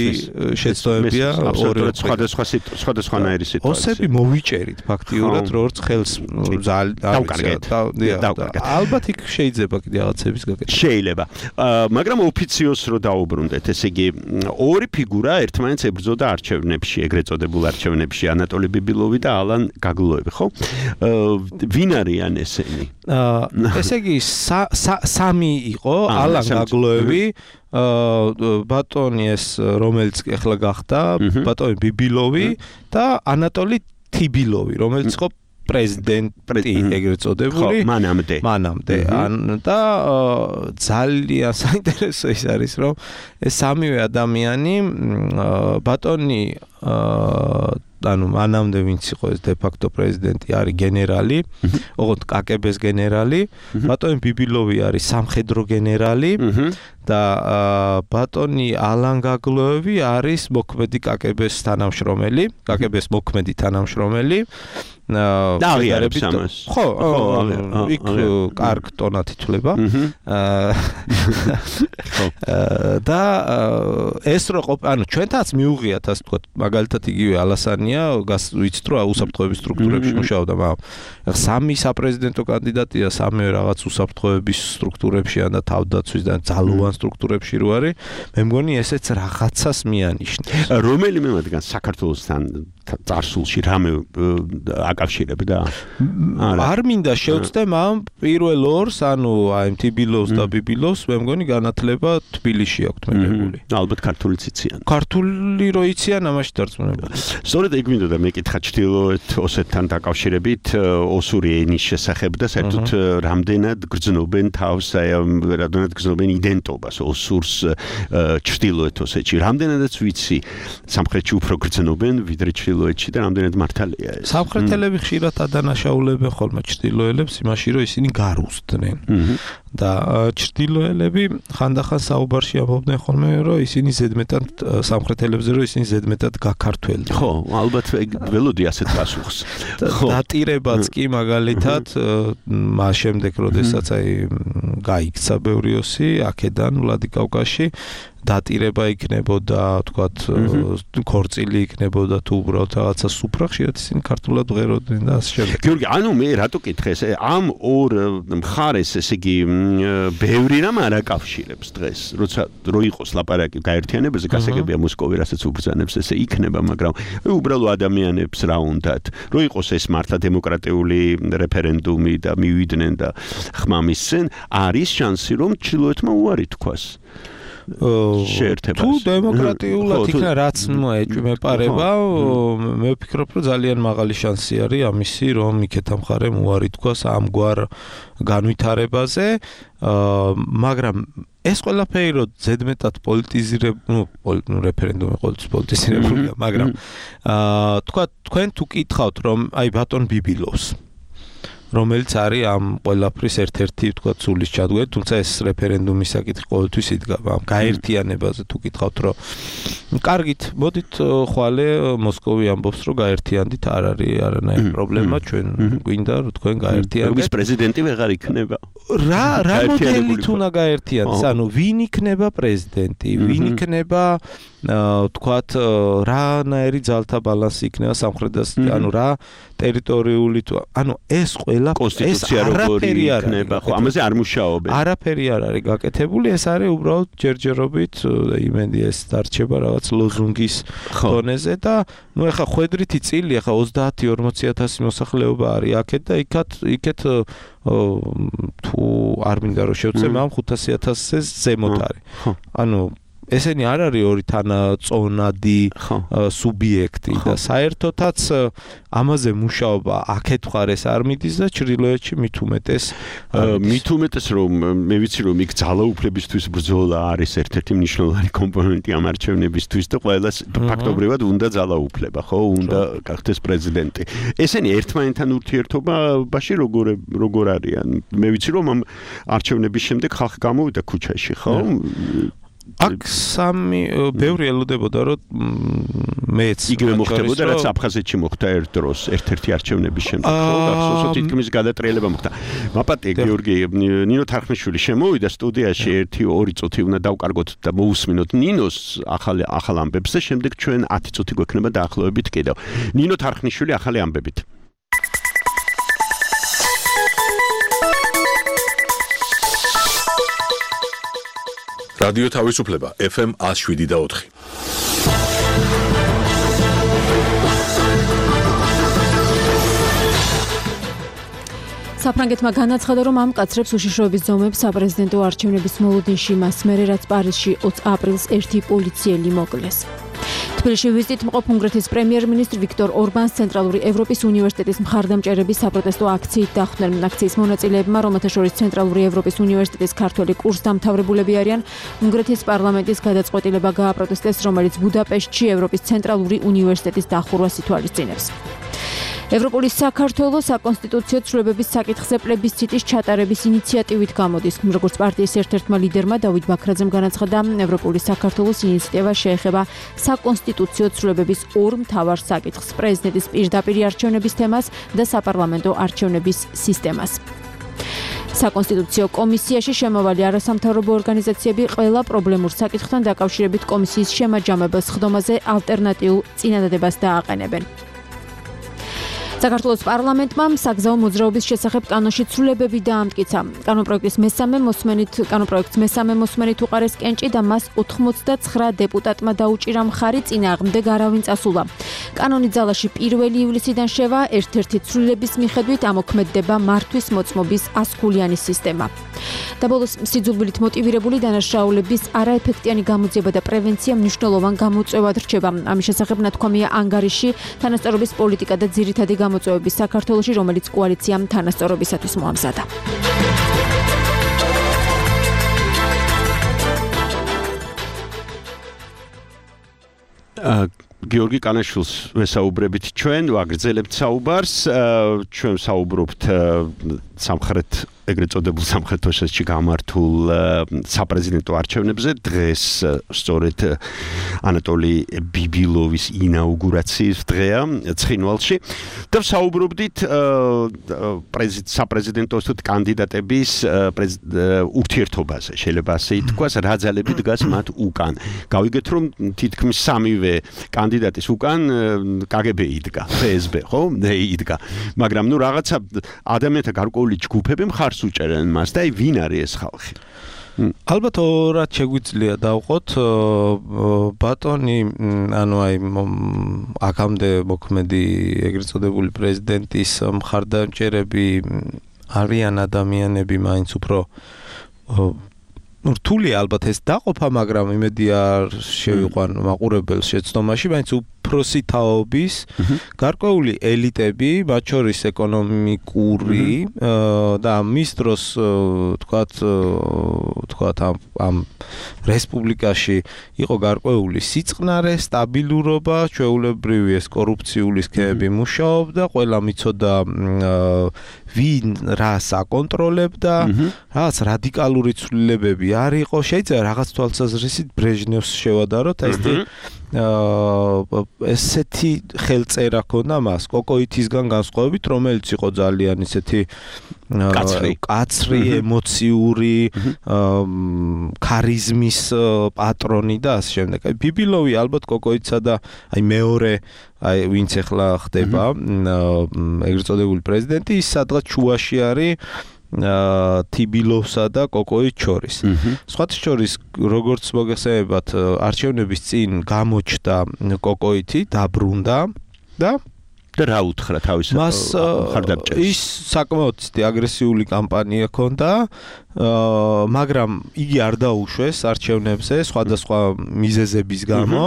შეცდომებია ორი სხვადასხვა სხვადასხვანაირი სიტუაცია. ოსები მოვიჭერით ფაქტიურად, როგორც ხელს დავკარგეთ. ალბათ იქ შეიძლება კიდე რაღაცების გაკეთება. შეიძლება. მაგრამ ოფიციოზს რო დაუბრუნდეთ, ესე იგი ორი ფიგურა ერთმანეთს ებრძოდა არჩევნებში, ეგრეთ წოდებულ არჩევნებში, ანატოლი ბიბილოვი და ალან გაგლოევი, ხო? ვინ არიან ესენი? ესე იგი სამი იყო, ალან გაგლოევი, ბატონი ეს რომელიც ახლა გახდა, ბატონი ბიბილოვი და ანატოლი თიბილოვი, რომელიც იყო პრეზიდენტი ეგრეთ წოდებული მანამდე მანამდე და ძალიან საინტერესო ის არის რომ ეს სამივე ადამიანი ბატონი ანუ მანამდე ვინც იყო ეს დე-ფაქტო პრეზიდენტი არის გენერალი, ოღონდ კაკ-ებ-ის გენერალი, ბატონი ბიბილოვი არის სამხედრო გენერალი და ბატონი ალან გაგლოევი არის მოქმედი კაკ-ებ-ის თანამშრომელი, კაკ-ებ-ის მოქმედი თანამშრომელი. აღიარებს ამას. ხო, იქ კარგ ტონად ითვლება. და ეს რო ყოფ, ანუ ჩვენთაც მიუღიათ ასე ვთქვათ, მაგალითად იგივე ალასანია, ვიცით რომ უსაფრთხოების სტრუქტურებში მუშაობდა, მაგრამ სამი საპრეზიდენტო კანდიდატია, სამივე რაღაც უსაფრთხოების სტრუქტურებშია და თავდაცვის და ძალოვან სტრუქტურებში რო არის, მე მგონი ესეც რაღაცას მიანიშნებს. რომელიმე მათგან საქართველოსთან წარსულში რამე აკავშირებდა? არ მინდა შევწდე ამ პირველ ორს, ანუ აი თბილოს და ბიბილოს, მე მგონი განათლება თბილისში აქვთ მიღებული. ალბათ ქართულიც იციან. ქართული რო იციან, ამაში დარწმუნებული. სწორედ ეგ მინდოდა მეკითხა ჩრდილოეთ ოსეთთან დაკავშირებით ოსური ენის შესახებ და საერთოდ რამდენად გრძნობენ თავს, აი რამდენად გრძნობენ იდენტობას ოსურს ჩრდილოეთ ოსეთში. რამდენადაც ვიცი, სამხრეთში უფრო გრძნობენ ვიდრე ჩრდილოეთში და რამდენად მართალია ეს. სამხრეთელები ხშირად ადანაშაულებენ ხოლმე ჩრდილოელებს იმაში, რომ ისინი გარუსტნენ. და ჩრდილოელები ხანდახან საუბარში ამბობდნენ ხოლმე, რომ ისინი ზედმეტად სამხრეთელებზე, რომ ისინი ზედმეტად გაქართველდნენ. ხო, ალბათ ველოდი ასეთ პასუხს. დატირებაც კი მაგალითად მას შემდეგ, როდესაც აი გაიქცა ბევრი ოსი აქედან ვლადიკავკაზში დატირება იქნებოდა, თქვათ, ქორწილი იქნებოდა თუ უბრალოდ რაღაცა სუფრა, ხშირად ისინი ქართულად ვღეროდნენ და ასე შემდეგ. გიორგი, ანუ მე რატო კითხე ეს ამ ორ მხარეს, ესე იგი, ბევრი რამ არ აკავშირებს დღეს, როცა რო იყოს ლაპარაკი გაერთიანებაზე, გასაგებია მოსკოვი რასაც უბრძანებს, ესე იქნება, მაგრამ უბრალოდ ადამიანებს რა უნდათ, რო იყოს ეს მართლა დემოკრატიული რეფერენდუმი და მივიდნენ და ხმა მისცენ, არის შანსი რომ ჩრდილოეთმა უარი თქვას. შეერთებას. თუ დემოკრატიულად იქნა რაც მოეჭვმეპარება, მე ვფიქრობ, რომ ძალიან მაღალი შანსი არის ამისი, რომ იქეთა მხარემ უარი თქვას ამგვარ განვითარებაზე, მაგრამ ეს ყველაფერი რო ზედმეტად პოლიტიზირებული, ნუ რეფერენდუმი ყოველთვის პოლიტიზირებულია, მაგრამ თქვა თქვენ თუ კითხავთ, რომ აი ბატონ ბიბილოვს რომელიც არის ამ ყველაფრის ერთ-ერთი თქვა სულის ჩადგენ, თუმცა ეს რეფერენდუმის საკითხი ყოველთვის იდგა ამ გაერთიანებაზე თუ კითხავთ, რომ კარგით, მოდით ხვალე მოსკოვი ამბობს, რომ გაერთიანდით, არ არის არანაირი პრობლემა, ჩვენ გვინდა რომ თქვენ გაერთიანდეთ. რუგის პრეზიდენტი ვეღარ იქნება. რა რა მოდელით უნდა გაერთიანდეს? ანუ ვინ იქნება პრეზიდენტი, ვინ იქნება თქვათ რანაირი ძალთა ბალანსი იქნება სამხრეთასთან, ანუ რა ტერიტორიული თუ ანუ ეს ყველა კონსტიტუცია როგორი იქნება, ხო, ამაზე არ მუშაობენ. არაფერი არ არის გაკეთებული, ეს არის უბრალოდ ჯერჯერობით იმედი ეს დარჩება რაღაც ლოზუნგის დონეზე და ნუ ეხა ხვედრითი წილი, ეხა ოცდაათი ორმოცი ათასი მოსახლეობა არის აქეთ და იქათ იქეთ თუ არ მინდა რომ შევწე, მაგრამ ხუთასი ათასზე ზემოთ არის. ანუ ესენი არ არის ორი თანაწონადი სუბიექტი და საერთოდაც ამაზე მუშაობა აქეთ მხარეს არ მიდის და ჩრდილოეთში მით უმეტეს მით უმეტეს რომ მე ვიცი რომ იქ ძალაუფლებისთვის ბრძოლა არის ერთ-ერთი მნიშვნელოვანი კომპონენტი ამ არჩევნებისთვის და ყველას ფაქტობრივად უნდა ძალაუფლება, ხო, უნდა გახდეს პრეზიდენტი. ესენი ერთმანეთთან ურთიერთობაში როგორ როგორ არიან? მე ვიცი რომ ამ არჩევნების შემდეგ ხალხი გამოვიდა ქუჩაში, ხო? აქ სამი ბევრი ელოდებოდა რომ მეც იგივე მოხდებოდა რაც აფხაზეთში მოხდა ერთ დროს ერთ-ერთი არჩევნების შემდეგ ხო გახსოვს რომ თითქმის გადატრიალება მოხდა. მაპატე გიორგი ნინო თარხნიშვილი შემოვიდა სტუდიაში ერთი ორი წუთი უნდა დავკარგოთ და მოусმინოთ ნინოს ახალი ახალ ამბებს და შემდეგ ჩვენ ათი წუთი გვექნება დაახლოებით კიდევ. ნინო თარხნიშვილი ახალი ამბებით. რადიო თავისუფლება ეფ ემ ათს შვიდი და ოთხი. საფრანგეთმა განაცხადა, რომ ამ მკაცრებს უშიშროების ზომებს საპრეზიდენტო არჩევნების მოლოდინში მას მერე რაც პარიზში ოცი აპრილს ერთი პოლიციელი მოკლეს. თბილისში ვიზიტით მყოფ უნგრეთის პრემიერ-მინისტრ ვიქტორ ორბანს ცენტრალური ევროპის უნივერსიტეტის მხარდამჭერების საპროტესტო აქციით დახვდნენ. აქციის მონაწილეებმა, რომელთა შორის ცენტრალური ევროპის უნივერსიტეტის ქართველი კურსდამთავრებულები არიან, უნგრეთის პარლამენტის გადაწყვეტილება გააპროტესტეს, რომელიც ბუდაპეშტში ევროპის ცენტრალური უნივერსიტეტის დახურვას ითვალისწინებს. ევროპული საქართველოს საკონსტიტუციო ცვლილებების საკითხზე პლებისციტის ჩატარების ინიციატივით გამოდის. როგორც პარტიის ერთ-ერთმა ლიდერმა დავით ბაქრაძემ განაცხადა, ევროპული საქართველოს ინიციატივა შეეხება საკონსტიტუციო ცვლილებების ორ მთავარ საკითხს: პრეზიდენტის პირდაპირი არჩევნების თემას და საპარლამენტო არჩევნების სისტემას. საკონსტიტუციო კომისიაში შემავალი არასამთავრობო ორგანიზაციები ყველა პრობლემურ საკითხთან დაკავშირებით კომისიის შემაჯამებელ სხდომაზე ალტერნატიულ წინადადებას დააყენებენ. საქართველოს პარლამენტმა საგზაო მოძრაობის შესახებ კანონში ცვლილებები დაამტკიცა. კანონპროექტის მესამე მოსმენით, კანონპროექტს მესამე მოსმენით უყარეს კენჭი და მას ოცდათხმეტ დეპუტატმა დაუჭირა მხარი, წინააღმდეგ არავინ წასულა. კანონი ძალაში პირველი ივლისიდან შევა, ერთ-ერთი ცვლილების მიხედვით ამოქმედდება მართვის მოწმობის ასქულიანი სისტემა. და ბოლოს სიძულვილით მოტივირებული დანაშაულების არაეფექტიანი გამოძიება და პრევენცია მნიშვნელოვან გამოწვევად რჩება. ამის შესახებ ნათქვამია ანგარიში თანასწორობის პოლიტიკა და ძირითადი გამოწვევების საქართველოში, რომელიც კოალიციამ თანასწორობისათვის მოამზადა. გიორგი კანაშვილს ვესაუბრებით ჩვენ, ვაგრძელებთ საუბარს, ჩვენ საუბრობთ სამხრეთ ეგრეთ წოდებულ სამხრეთ ოსეთში გამართულ საპრეზიდენტო არჩევნებზე. დღეს სწორედ ანატოლი ბიბილოვის ინაუგურაციის დღეა ცხინვალში და საუბრობდით საპრეზიდენტო კანდიდატების ურთიერთობაზე. შეიძლება ასე ითქვას, რა ძალები დგას მათ უკან. გავიგეთ, რომ თითქმის სამივე კანდიდატის უკან კაგები იდგა, ფე ეს ბე, ხო? იდგა. მაგრამ ნუ რაღაცა ადამიანთა გარკვეული ჯგუფები მხარს უჭერენ მას და აი ვინ არის ეს ხალხი? ალბათ ორად შეგვიძლია დავყოთ ბატონი, ანუ აი აქამდე მოქმედი ეგრეთ წოდებული პრეზიდენტის მხარდამჭერები არიან ადამიანები მაინც უფრო რთული ალბათ ეს დაყოფა, მაგრამ იმედი არ შევიყვან მაყურებელს შეცდომაში, მაინც უფროსი თაობის გარკვეული ელიტები, მათ შორის ეკონომიკური და მის დროს თქვათ თქვათ ამ რესპუბლიკაში იყო გარკვეული სიწყნარე, სტაბილურობა, ჩვეულებრივი ეს კორუფციული სქემები მუშაობდა, ყველა მიცოდა ვინ რას აკონტროლებდა, რაღაც რადიკალური ცვლილებები არ იყო, შეიძლება რაღაც თვალსაზრისით ბრეჟნევს შევადაროთ, ეს ესეთი ხელწერა ქონდა მას კოკოითისგან განსხვავებით, რომელიც იყო ძალიან ისეთი კაცრი, ემოციური, ქარიზმის პატრონი და ასე შემდეგ. აი ბიბილოვი ალბათ კოკოიცსა და აი მეორე აი ვინც ახლა ხდება ეგრეთ წოდებული პრეზიდენტი, ის სადღაც შუაში არის თიბილოვსა და კოკოის შორის. სხვათა შორის, როგორც მოგეხსენებათ, არჩევნების წინ გამოჩნდა კოკოითი, დაბრუნდა და და რა უთხრა თავის მხარდამჭერს? ის საკმაოდ აგრესიული კამპანია ჰქონდა, მაგრამ იგი არ დაუშვეს არჩევნებზე სხვადასხვა მიზეზების გამო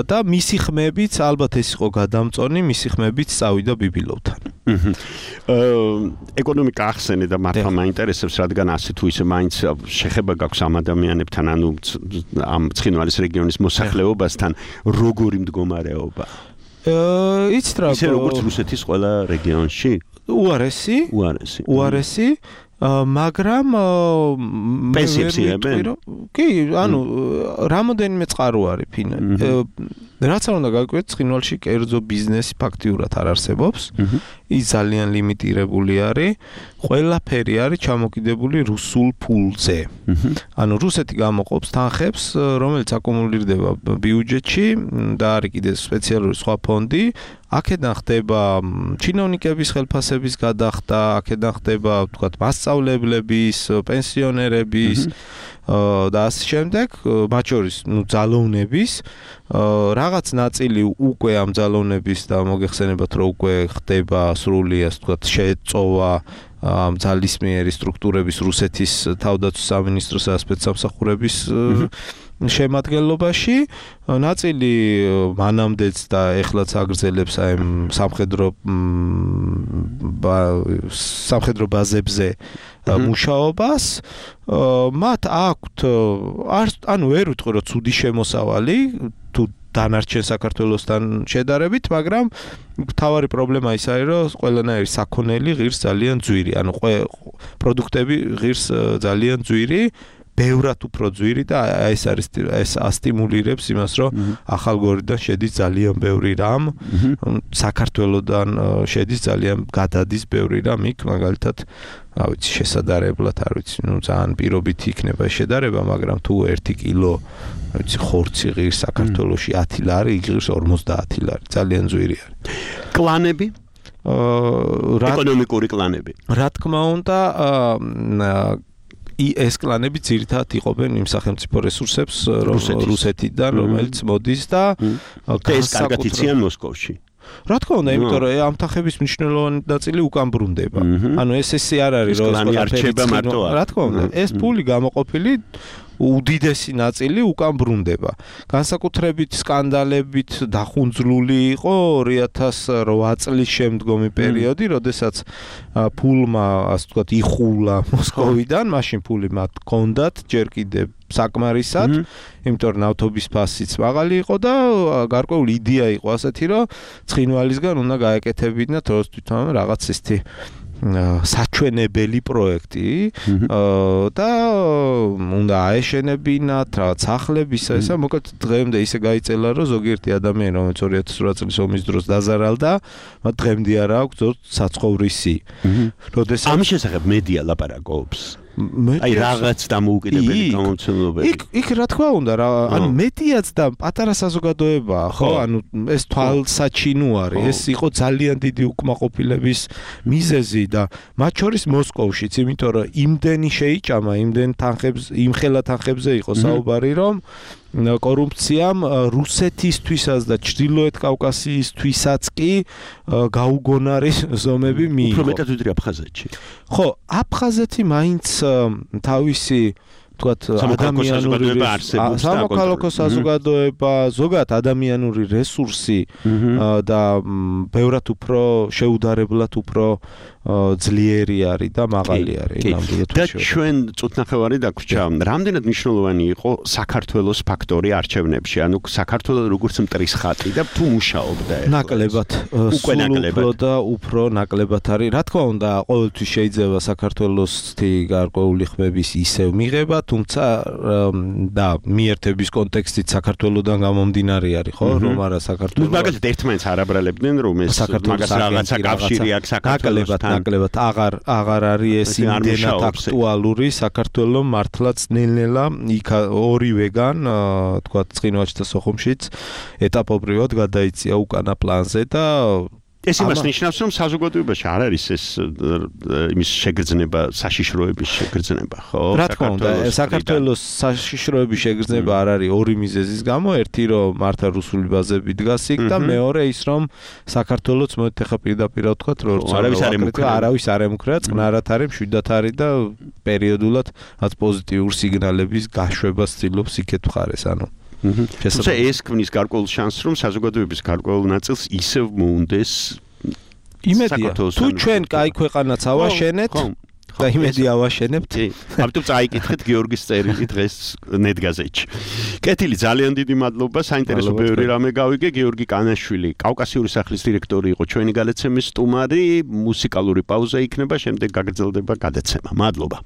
და მისი ხმებიც, ალბათ ეს იყო გადამწონი, მისი ხმებიც წავიდა ბიბილოვთან. ეკონომიკა ახსენე და მართლა მაინტერესებს, რადგან ასე თუ ისე მაინც შეხება გაქვს ამ ადამიანებთან, ანუ ამ ცხინვალის რეგიონის მოსახლეობასთან, როგორი მდგომარეობა? იცით რა, ისე როგორც რუსეთის ყველა რეგიონში? უარესი, უარესი. უარესი, მაგრამ პენსიებს იღებენ? კი, ანუ რამოდენიმე წყარო არის ფინანსი. რაც არ უნდა გავიკვირდეთ, ცხინვალში კერძო ბიზნესი ფაქტიურად არ არსებობს. ის ძალიან ლიმიტირებული არის. ყველაფერი არის ჩამოკიდებული რუსულ ფულზე. ანუ რუსეთი გამოყოფს თანხებს, რომელიც აკუმულირდება ბიუჯეტში და არის კიდე სპეციალური სხვა ფონდი. აქედან ხდება ჩინოვნიკების ხელფასების გადახდა, აქედან ხდება, ვთქვათ, მასწავლებლების, პენსიონერების და ასე შემდეგ, მათ შორის, ნუ ძალოვნების, რაღაც ნაწილი უკვე ამ ძალოვნების და მოგეხსენებათ, რომ უკვე ხდება სრული, ასე ვთქვათ, შეწოვა ამ ძალისმიერი სტრუქტურების რუსეთის თავდაცვის სამინისტროსა და სპეცსამსახურების შემადგენლობაში, ნაწილი მანამდეც და ეხლაც აგრძელებს აი სამხედრო სამხედრო ბაზებზე მუშაობას. მათ აქვთ ანუ ვერ ვიტყვი რომ ცუდი შემოსავალი თუ დანარჩენ საქართველოსთან შედარებით, მაგრამ მთავარი პრობლემა ის არის, რომ ყველანაირი საქონელი ღირს ძალიან ძვირი, ანუ პროდუქტები ღირს ძალიან ძვირი, ბევრად უფრო ძვირი და ეს არის ეს ასტიმულირებს იმას, რომ ახალგორიდან შედის ძალიან ბევრი რამ, საქართველოსთან შედის ძალიან გადადის ბევრი რამ იქ, მაგალითად, რა ვიცი, შესაძარებლად, არ ვიცი, ნუ ძალიან პირობით იქნება შედარება, მაგრამ თუ ერთი კილო რა ვიცი, ხორცი ღირს საქართველოში ათი ლარი, იღირს ორმოცდაათი ლარი, ძალიან ძვირი არის. კლანები? ეკონომიკური კლანები. რა თქმა უნდა, ეს კლანები ძირითადად იყოფენ იმ სახელმწიფო რესურსებს რუსეთიდან, რომელიც მოდის და ეს კარგად იციან მოსკოვში. რა თქმა უნდა, იმიტომ რომ ამ თანხების მნიშვნელოვანი ნაწილი უკან ბრუნდება. ანუ ეს ესე არ არის, რომ რა თქმა უნდა, ეს ფული გამოყოფილი უდიდესი ნაწილი უკან ბრუნდება. განსაკუთრებით სკანდალებით დახუნძლული იყო ორი ათას რვა წლის შემდგომი პერიოდი, როდესაც ფულმა, ასე ვთქვათ, იხულა მოსკოვიდან, მაშინ ფული მათ ჰქონდათ ჯერ კიდევ საკმარისად, იმიტომ რომ ნავთობის ფასიც მაღალი იყო და გარკვეული იდეა იყო ასეთი, რომ ცხინვალისგან უნდა გაეკეთებინათ როს თვითონ რაღაც ისეთი საჩვენებელი პროექტი და უნდა აეშენებინათ რაღაც სახლების ესა, მოკლედ დღემდე ისე გაიწელა, რომ ზოგიერთი ადამიანი, რომელიც ორი ათას რვა წლის ომის დროს დაზარალდა, მათ დღემდე არ აქვს საცხოვრისი. როდესაც ამ შესახებ მედია ლაპარაკობს. აი რაღაც დამოუკიდებელი გამომცემლობები. იქ იქ რა თქმა უნდა, რა, ანუ მედიაც და პატარა საზოგადოებაა, ხო? ანუ ეს თვალსაჩინო არის, ეს იყო ძალიან დიდი უკმაყოფილების მიზეზი და მათ შორის მოსკოვშიც, იმიტომ რომ იმდენი შეიჭამა, იმდენ თანხებს, იმხელა თანხებზე იყო საუბარი, რომ კორუფციამ რუსეთისთვისაც და ჩრდილოეთ კავკასიისთვისაც კი გაუგონარი ზომები მიიღო. უფრო მეტად ვიდრე აფხაზეთში. ხო, აფხაზეთი მაინც თავისი თქვათ ადამიანური სამოქალაქო საზოგადოება, ზოგადად ადამიანური რესურსი და ბევრად უფრო შეუდარებლად უფრო ძლიერი არის და მაღალი არის ნამდვილად. და ჩვენ წუთნახევარი დაგვრჩა, რამდენად მნიშვნელოვანი იყო საქართველოს ფაქტორი არჩევნებში, ანუ საქართველოს როგორც მტრის ხატი და თუ მუშაობდა ეს. ნაკლებად, სულ უფრო და უფრო ნაკლებად არის. რა თქმა უნდა, ყოველთვის შეიძლება საქართველოსთი გარკვეული ხმების ისევ მიღება, თუმცა და მიერთების კონტექსტით საქართველოსთან გამომდინარე არის, ხო, რომ არა საქართველოს. მაგალითად ერთმანეთს არ აბრალებდნენ, რომ ეს მაგას რაღაცა კავშირი აქვს საქართველოსთან. ნაკლებად აღარ აღარ არის ეს იმდენად აქტუალური საქართველოს მართლაც ნელ-ნელა იქ ორივეგან თქვათ ცხინვალში და სოხუმშიც ეტაპობრივად გადაიწია უკანა პლანზე და ეს იმას ნიშნავს, რომ საზოგადოებაში არ არის ეს იმის შეგრძნება, საშიშროების შეგრძნება, ხო? რა თქმა უნდა, საქართველოს საშიშროების შეგრძნება არ არის ორი მიზეზის გამო, ერთი რომ მართა რუსული ბაზები დგას იქ და მეორე ის რომ საქართველოს მოეთ ახლა პირდაპირ ვთქვათ, რომ არავის არ ემუქრა, არავის არ ემუქრა, წყნარად არის, მშვიდად არის და პერიოდულად რაც პოზიტიურ სიგნალების გაშვებას ცდილობს იქეთ მხარეს, ანუ თუმცა ეს ქმნის გარკვეულ შანსს, რომ საზოგადოების გარკვეულ ნაწილს ისევ მოუნდეს იმედია. თუ ჩვენ კაი ქვეყანაც ავაშენეთ და იმედი ავაშენებთ. ამიტომ წაიკითხეთ გიორგის წერილი დღეს ნეტგაზეთში. კეთილი, ძალიან დიდი მადლობა, საინტერესო ბევრი რამე გავიგე. გიორგი კანაშვილი, კავკასიური სახლის დირექტორი იყო ჩვენი გადაცემის სტუმარი. მუსიკალური პაუზა იქნება, შემდეგ გაგრძელდება გადაცემა. მადლობა.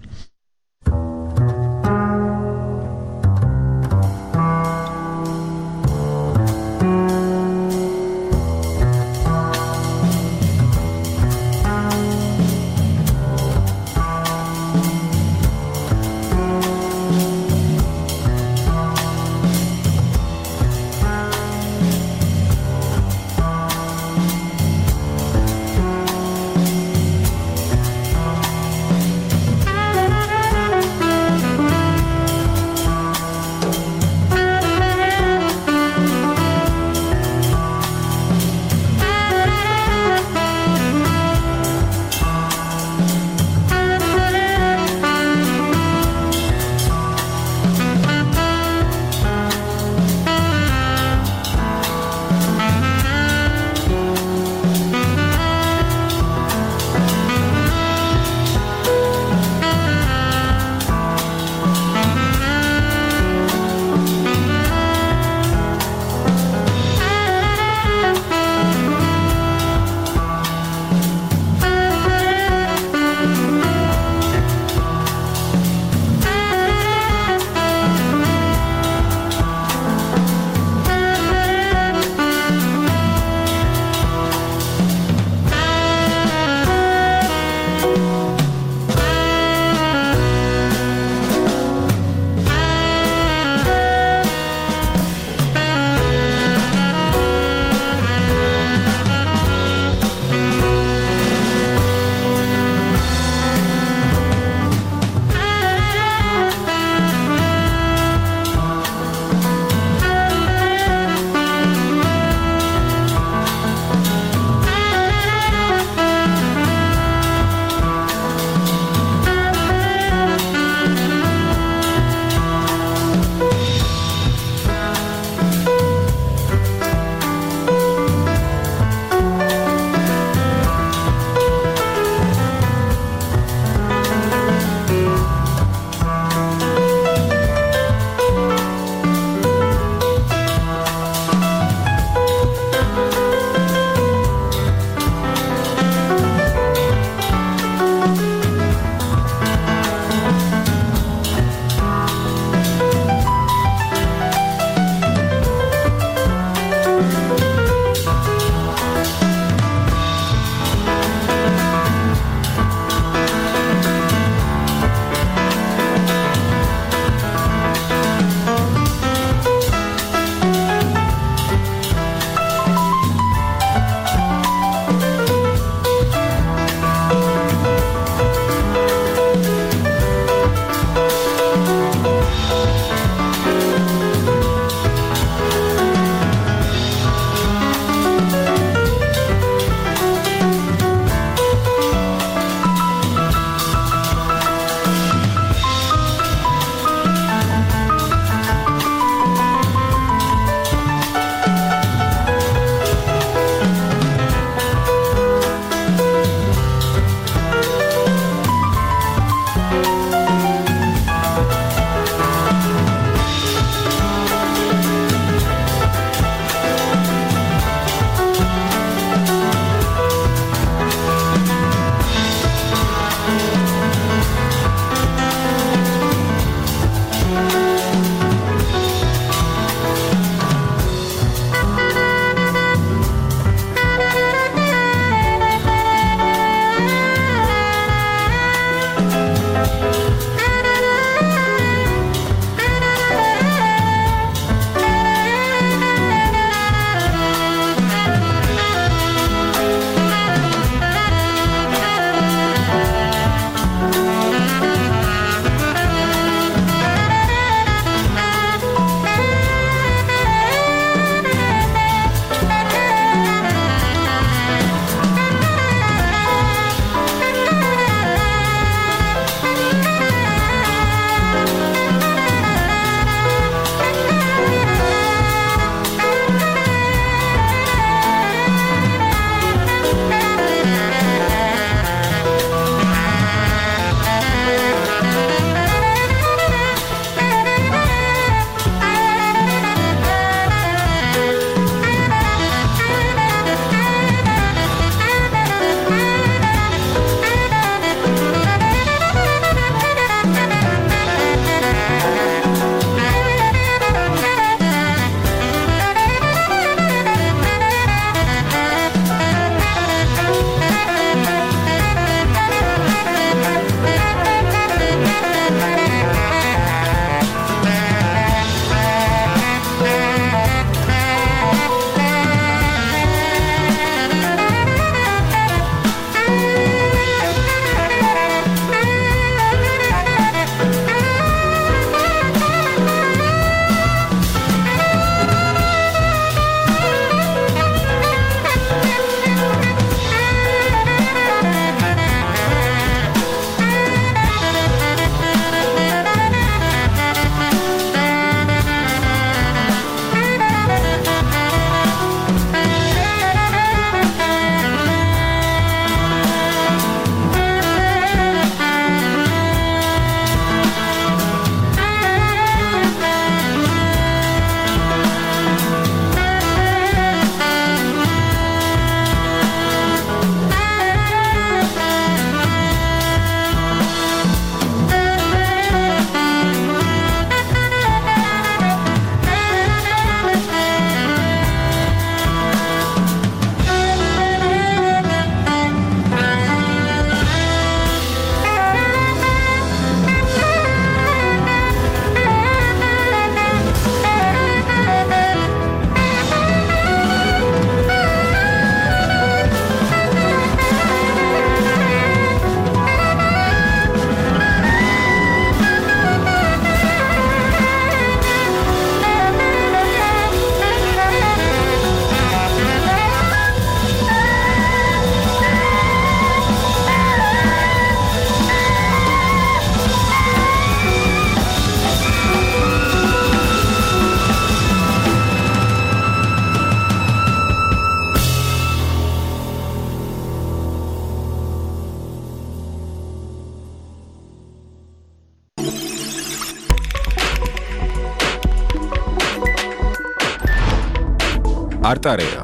არტარეა.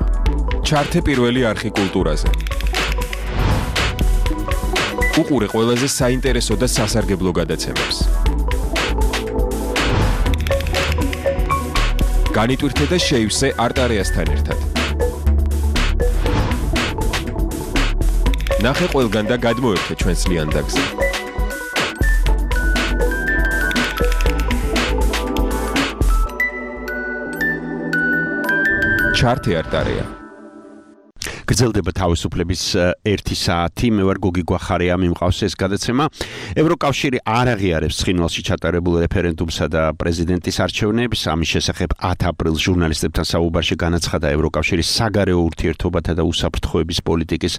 ჩართე პირველი არხი კულტურაზე. უყურე ყველაზე საინტერესო და სასარგებლო გადაცემებს. განიტვირთე და შეივსე არტარეასთან ერთად. ნახე ყველგან და გადმოერთე ჩვენს ლიანდაგზე. ჩართე არტარეა. გრძელდება თავისუფლების ერთი საათი. მე ვარ გოგი გვახარია, მიმყავს ეს გადაცემა. ევროკავშირი არ აღიარებს ცხინვალში ჩატარებულ რეფერენდუმსა და პრეზიდენტის არჩევნებს. ამის შესახებ ათი აპრილს ჟურნალისტებთან საუბარში განაცხადა ევროკავშირის საგარეო ურთიერთობათა და უსაფრთხოების პოლიტიკის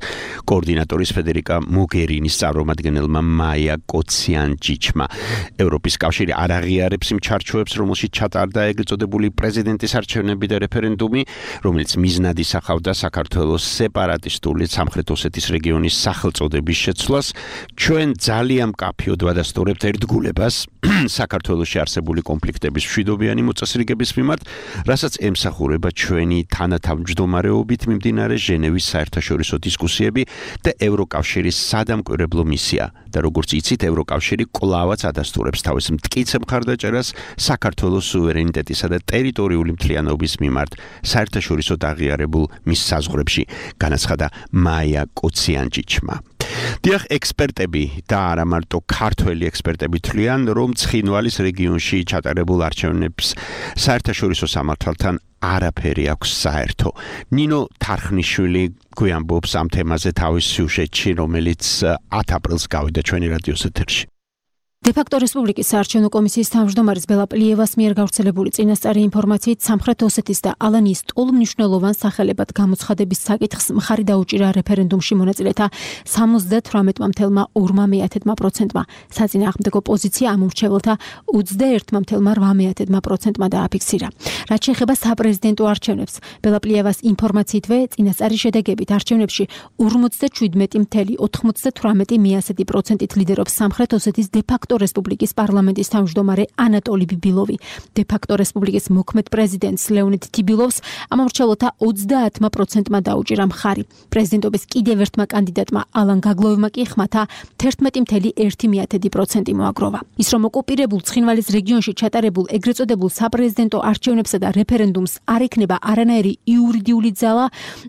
კოორდინატორის ფედერიკა მოგერინის წარმომადგენელმა მაია კოციანჯიჩმა. ევროპის კავშირი არ აღიარებს იმ ჩარჩოებს, რომელშიც ჩატარდა ეგრეთ წოდებული პრეზიდენტის არჩევნები და რეფერენდუმი, რომელიც მიზნად ისახავდა საქართველოს სეპარატისტული სამხრეთ ოსეთის რეგიონის სახელწოდების შეცვლას. ჩვენ ძალიან მკაფიოდ ვადასტურებთ ერთგულებას საქართველოში არსებული კონფლიქტების მშვიდობიანი მოწესრიგების მიმართ, რასაც ემსახურება ჩვენი თანათავმჯდომარეობით მიმდინარე ჟენევის საერთაშორისო დისკუსიები და ევროკავშირის სადამკვირვებლო მისია. და როგორც იცით, ევროკავშირი კვლავაც ადასტურებს თავის მტკიცე მხარდაჭერას საქართველოს სუვერენიტეტისა და ტერიტორიული მთლიანობის მიმართ საერთაშორისოდ აღიარებულ მის საზღვრებში, განაცხადა მაია კოციანჯიჩმა. დიახ, ექსპერტები და არა მარტო ქართველი ექსპერტები თვლიან, რომ ცხინვალის რეგიონში ჩატარებულ არჩევნებს საერთაშორისო სამართალთან არაფერი აქვს საერთო. ნინო თარხნიშვილი გვიამბობს ამ თემაზე თავის სიუჟეტში, რომელიც ათი აპრილს გავიდა ჩვენი რადიოს ეთერში. დე-ფაქტო რესპუბლიკის საარჩევნო კომისიის თავმჯდომარის ბელა პლიევას მიერ გავრცელებული წინასწარი ინფორმაციით სამხრეთ ოსეთის და ალანიის ტოლმნიშვნელოვან სახელებად გამოცხადების საკითხს მხარი დაუჭირა რეფერენდუმში მონაწილეთა სამოცდათვრამეტ მამთელმა ორმა მეათედმა პროცენტმა. საწინააღმდეგო პოზიცია ამ უმრჩეველთა ოცდაერთმა მამთელმა რვამეათედმა პროცენტმა დააფიქსირა. რაც შეეხება საპრეზიდენტო არჩევნებს, ბელა პლიევას ინფორმაციითვე წინასწარი შედეგებით არჩევნებში ორმოცდაშვიდმეტი მათი ოთხმოცდათვრამეტი მიასეთი პროცენტით ლიდერობს სამხრეთ ოსეთის დე-ფაქტო რესპუბლიკის პარლამენტის თავმჯდომარე ანატოლი ბიბილოვი. დე-ფაქტო რესპუბლიკის მოქმედ პრეზიდენტს ლეონიდ თიბილოვს ამ მრჩეველთა ოცდაათმა პროცენტმა დაუჭირა მხარი. პრეზიდენტობის კიდევ ერთმა კანდიდატმა ალან გაგლოვმა კი ხმათა თერთმეტი მათი ერთი პროცენტი მოაგროვა. ის რომ ოკუპირებულ ცხინვალის რეგიონში ჩატარებულ ეგრეთ წოდებულ საპრეზიდენტო არჩევნებსა და რეფერენდუმს არ ექნება არანაირი იურიდიული ძალა,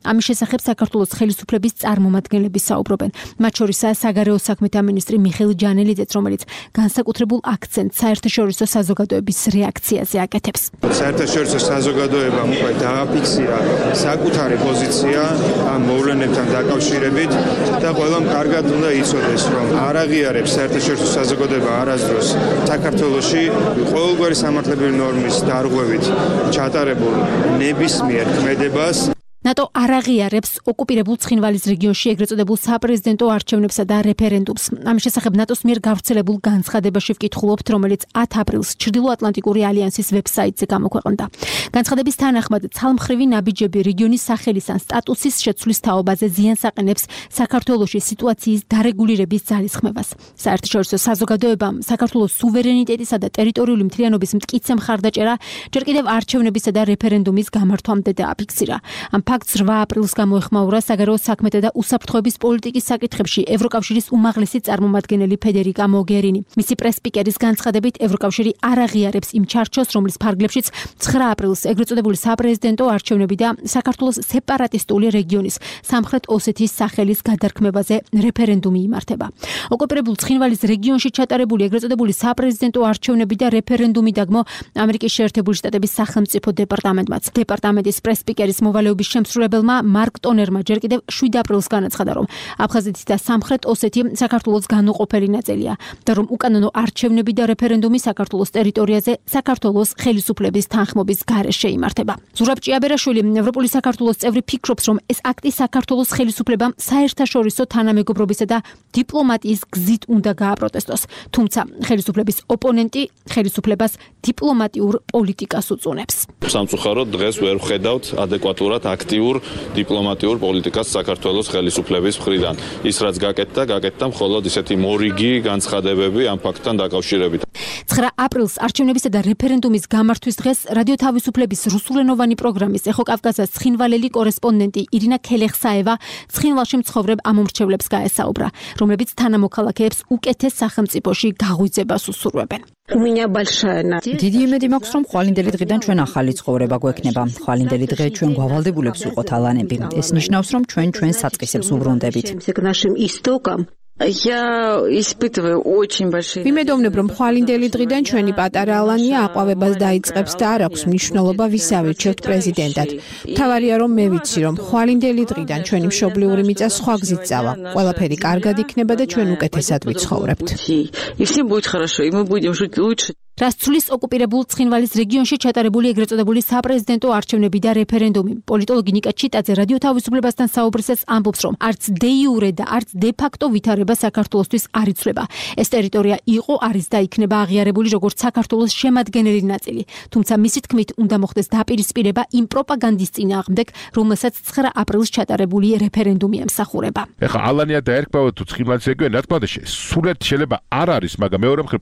ამის შესახებ საქართველოს ხელისუფლების წარმომადგენლები საუბრობენ. მათ შორისაა საგარეო საქმეთა მინისტრი მიხეილ ჯანელიძეც, რომელიც განსაკუთრებულ აქცენტს საერთაშორისო საზოგადოების რეაქციაზე აკეთებს. საერთაშორისო საზოგადოებამ უკვე დააფიქსირა საკუთარი პოზიცია ამ მოვლენებთან დაკავშირებით და ყველამ კარგად უნდა იცოდეს, რომ არ აღიარებს საერთაშორისო საზოგადოება არასდროს საქართველოში ყოველგვარი სამართლებრივი ნორმის დარღვევით ჩატარებულ ნებისმიერ ქმედებას. ნატო არ აღიარებს ოკუპირებულ ცხინვალის რეგიონში ეგრეთ წოდებულ საპრეზიდენტო არჩევნებსა და რეფერენდუმს. ამის შესახებ ნატოს მიერ გავრცელებულ განცხადებაში ვკითხულობთ, რომელიც ათი აპრილს ჩრდილოატლანტიკური ალიანსის ვებსაიტზე გამოქვეყნდა. განცხადების თანახმად, ცალმხრივი ნაბიჯები რეგიონის სახელის ან სტატუსის შეცვლის თაობაზე ზიანს აყენებს საქართველოში სიტუაციის დარეგულირების ძალისხმევას. საერთაშორისო საზოგადოებამ საქართველოს სუვერენიტეტისა და ტერიტორიული მთლიანობის მტკიცე მხარდაჭერა ჯერ კიდევ არჩევნებისა და რეფერენდუმის გამართვამდე დააფიქსირა. ამ ფაქტს რვა აპრილს გამოეხმაურა საგარეო საქმეთა და უსაფრთხოების პოლიტიკის საკითხებში ევროკავშირის უმაღლესი წარმომადგენელი ფედერიკა მოგერინი. მისი პრეს-სპიკერის განცხადებით, ევროკავშირი არ აღიარებს იმ ჩარჩოს, რომლის ფარგლებშიც ცხრა აპრილს ეგრეთ წოდებული საპრეზიდენტო არჩევნები და საქართველოს სეპარატისტული რეგიონის სამხრეთ ოსეთის სახელის გადარქმევაზე რეფერენდუმი იმართება. ოკუპირებულ ცხინვალის რეგიონში ჩატარებული ეგრეთ წოდებული საპრეზიდენტო არჩევნები და რეფერენდუმი დაგმო ამერიკის შეერთებული შტატების სახელმწიფო დეპარტამენტმაც. დეპარტამენტის პრეს-სპიკერის მოვალეობის შემსრულებელმა მარკ ტონერმა ჯერ კიდევ შვიდ აპრილს განაცხადა, რომ აფხაზეთი და სამხრეთ ოსეთი საქართველოს განუყოფელი ნაწილია და რომ უკანონო არჩევნები და რეფერენდუმი საქართველოს ტერიტორიაზე საქართველოს ხელისუფლების თანხმობის გარეშე იმართება. ზურაბ ჭიაბერაშვილი, ევროპული საქართველოს წევრი, ფიქრობს, რომ ეს აქტი საქართველოს ხელისუფლებამ საერთაშორისო თანამეგობრობისა და დიპლომატიის გზით უნდა გააპროტესტოს, თუმცა ხელისუფლების ოპონენტი ხელისუფლებას დიპლომატიურ პოლიტიკას უწუნებს. სამწუხაროდ დღეს ვერ ვხედავთ ადეკვატურად აქტ აქტიურ დიპლომატიურ პოლიტიკას საქართველოს ხელისუფლების მხრიდან. ის რაც გაკეთდა, გაკეთდა მხოლოდ ისეთი მორიგი განცხადებები ამ ფაქტთან დაკავშირებით. ცხრა აპრილს არჩევნებისა და რეფერენდუმის გამართვის დღეს რადიო თავისუფლების რუსულენოვანი პროგრამის ეხო კავკასიის ცხინვალელი კორესპონდენტი ირინა ქელეხსაევა ცხინვალში მცხოვრებ ამომრჩევლებს გაესაუბრა, რომლებიც თანამოქალაქეებს უკეთეს სახელმწიფოში გაღვიძებას უსურვებენ. დიდი იმედი მაქვს, რომ ხვალინდელი დღიდან ჩვენ ახალი ცხოვრება გვექნება. ხვალინდელი დღე ჩვენ გვალდებულებს ვიყოთ ალანები. ეს ნიშნავს, რომ ჩვენ ჩვენ საწყისებს უბრუნდებით. ვიმედოვნებ, რომ ხვალინდელი დღიდან ჩვენი პატარა ალანია აყვავებას დაიწყებს და არ აქვს მნიშვნელობა ვის ავირჩევთ პრეზიდენტად. მთავარია, რომ მე ვიცი, რომ ხვალინდელი დღიდან ჩვენი მშობლიური მიწა სხვა გზით წავა. ყველაფერი კარგად იქნება და ჩვენ უკეთესად ვიცხოვრებთ. რას ცვლის ოკუპირებულ ცხინვალის რეგიონში ჩატარებული ეგრეთ წოდებული საპრეზიდენტო არჩევნები და რეფერენდუმი. პოლიტოლოგი ნიკა ჩიტაძე რადიო თავისუფლებასთან საუბრისას ამბობს, რომ არც დე იურე და არც დე ფაქტო ვითარება საქართველოსთვის არ იცვლება. ეს ტერიტორია იყო, არის და იქნება აღიარებული როგორც საქართველოს შემადგენელი ნაწილი. თუმცა მისი თქმით უნდა მოხდეს დაპირისპირება იმ პროპაგანდის წინააღმდეგ, რომელსაც ცხრა აპრილს ჩატარებული რეფერენდუმი ემსახურება. ეხლა ალანია დაერქვა თუ ცხინვალის რეგიონი, რა თქმა უნდა, სულად შეიძლება არ არის, მაგრამ მეორე მხრივ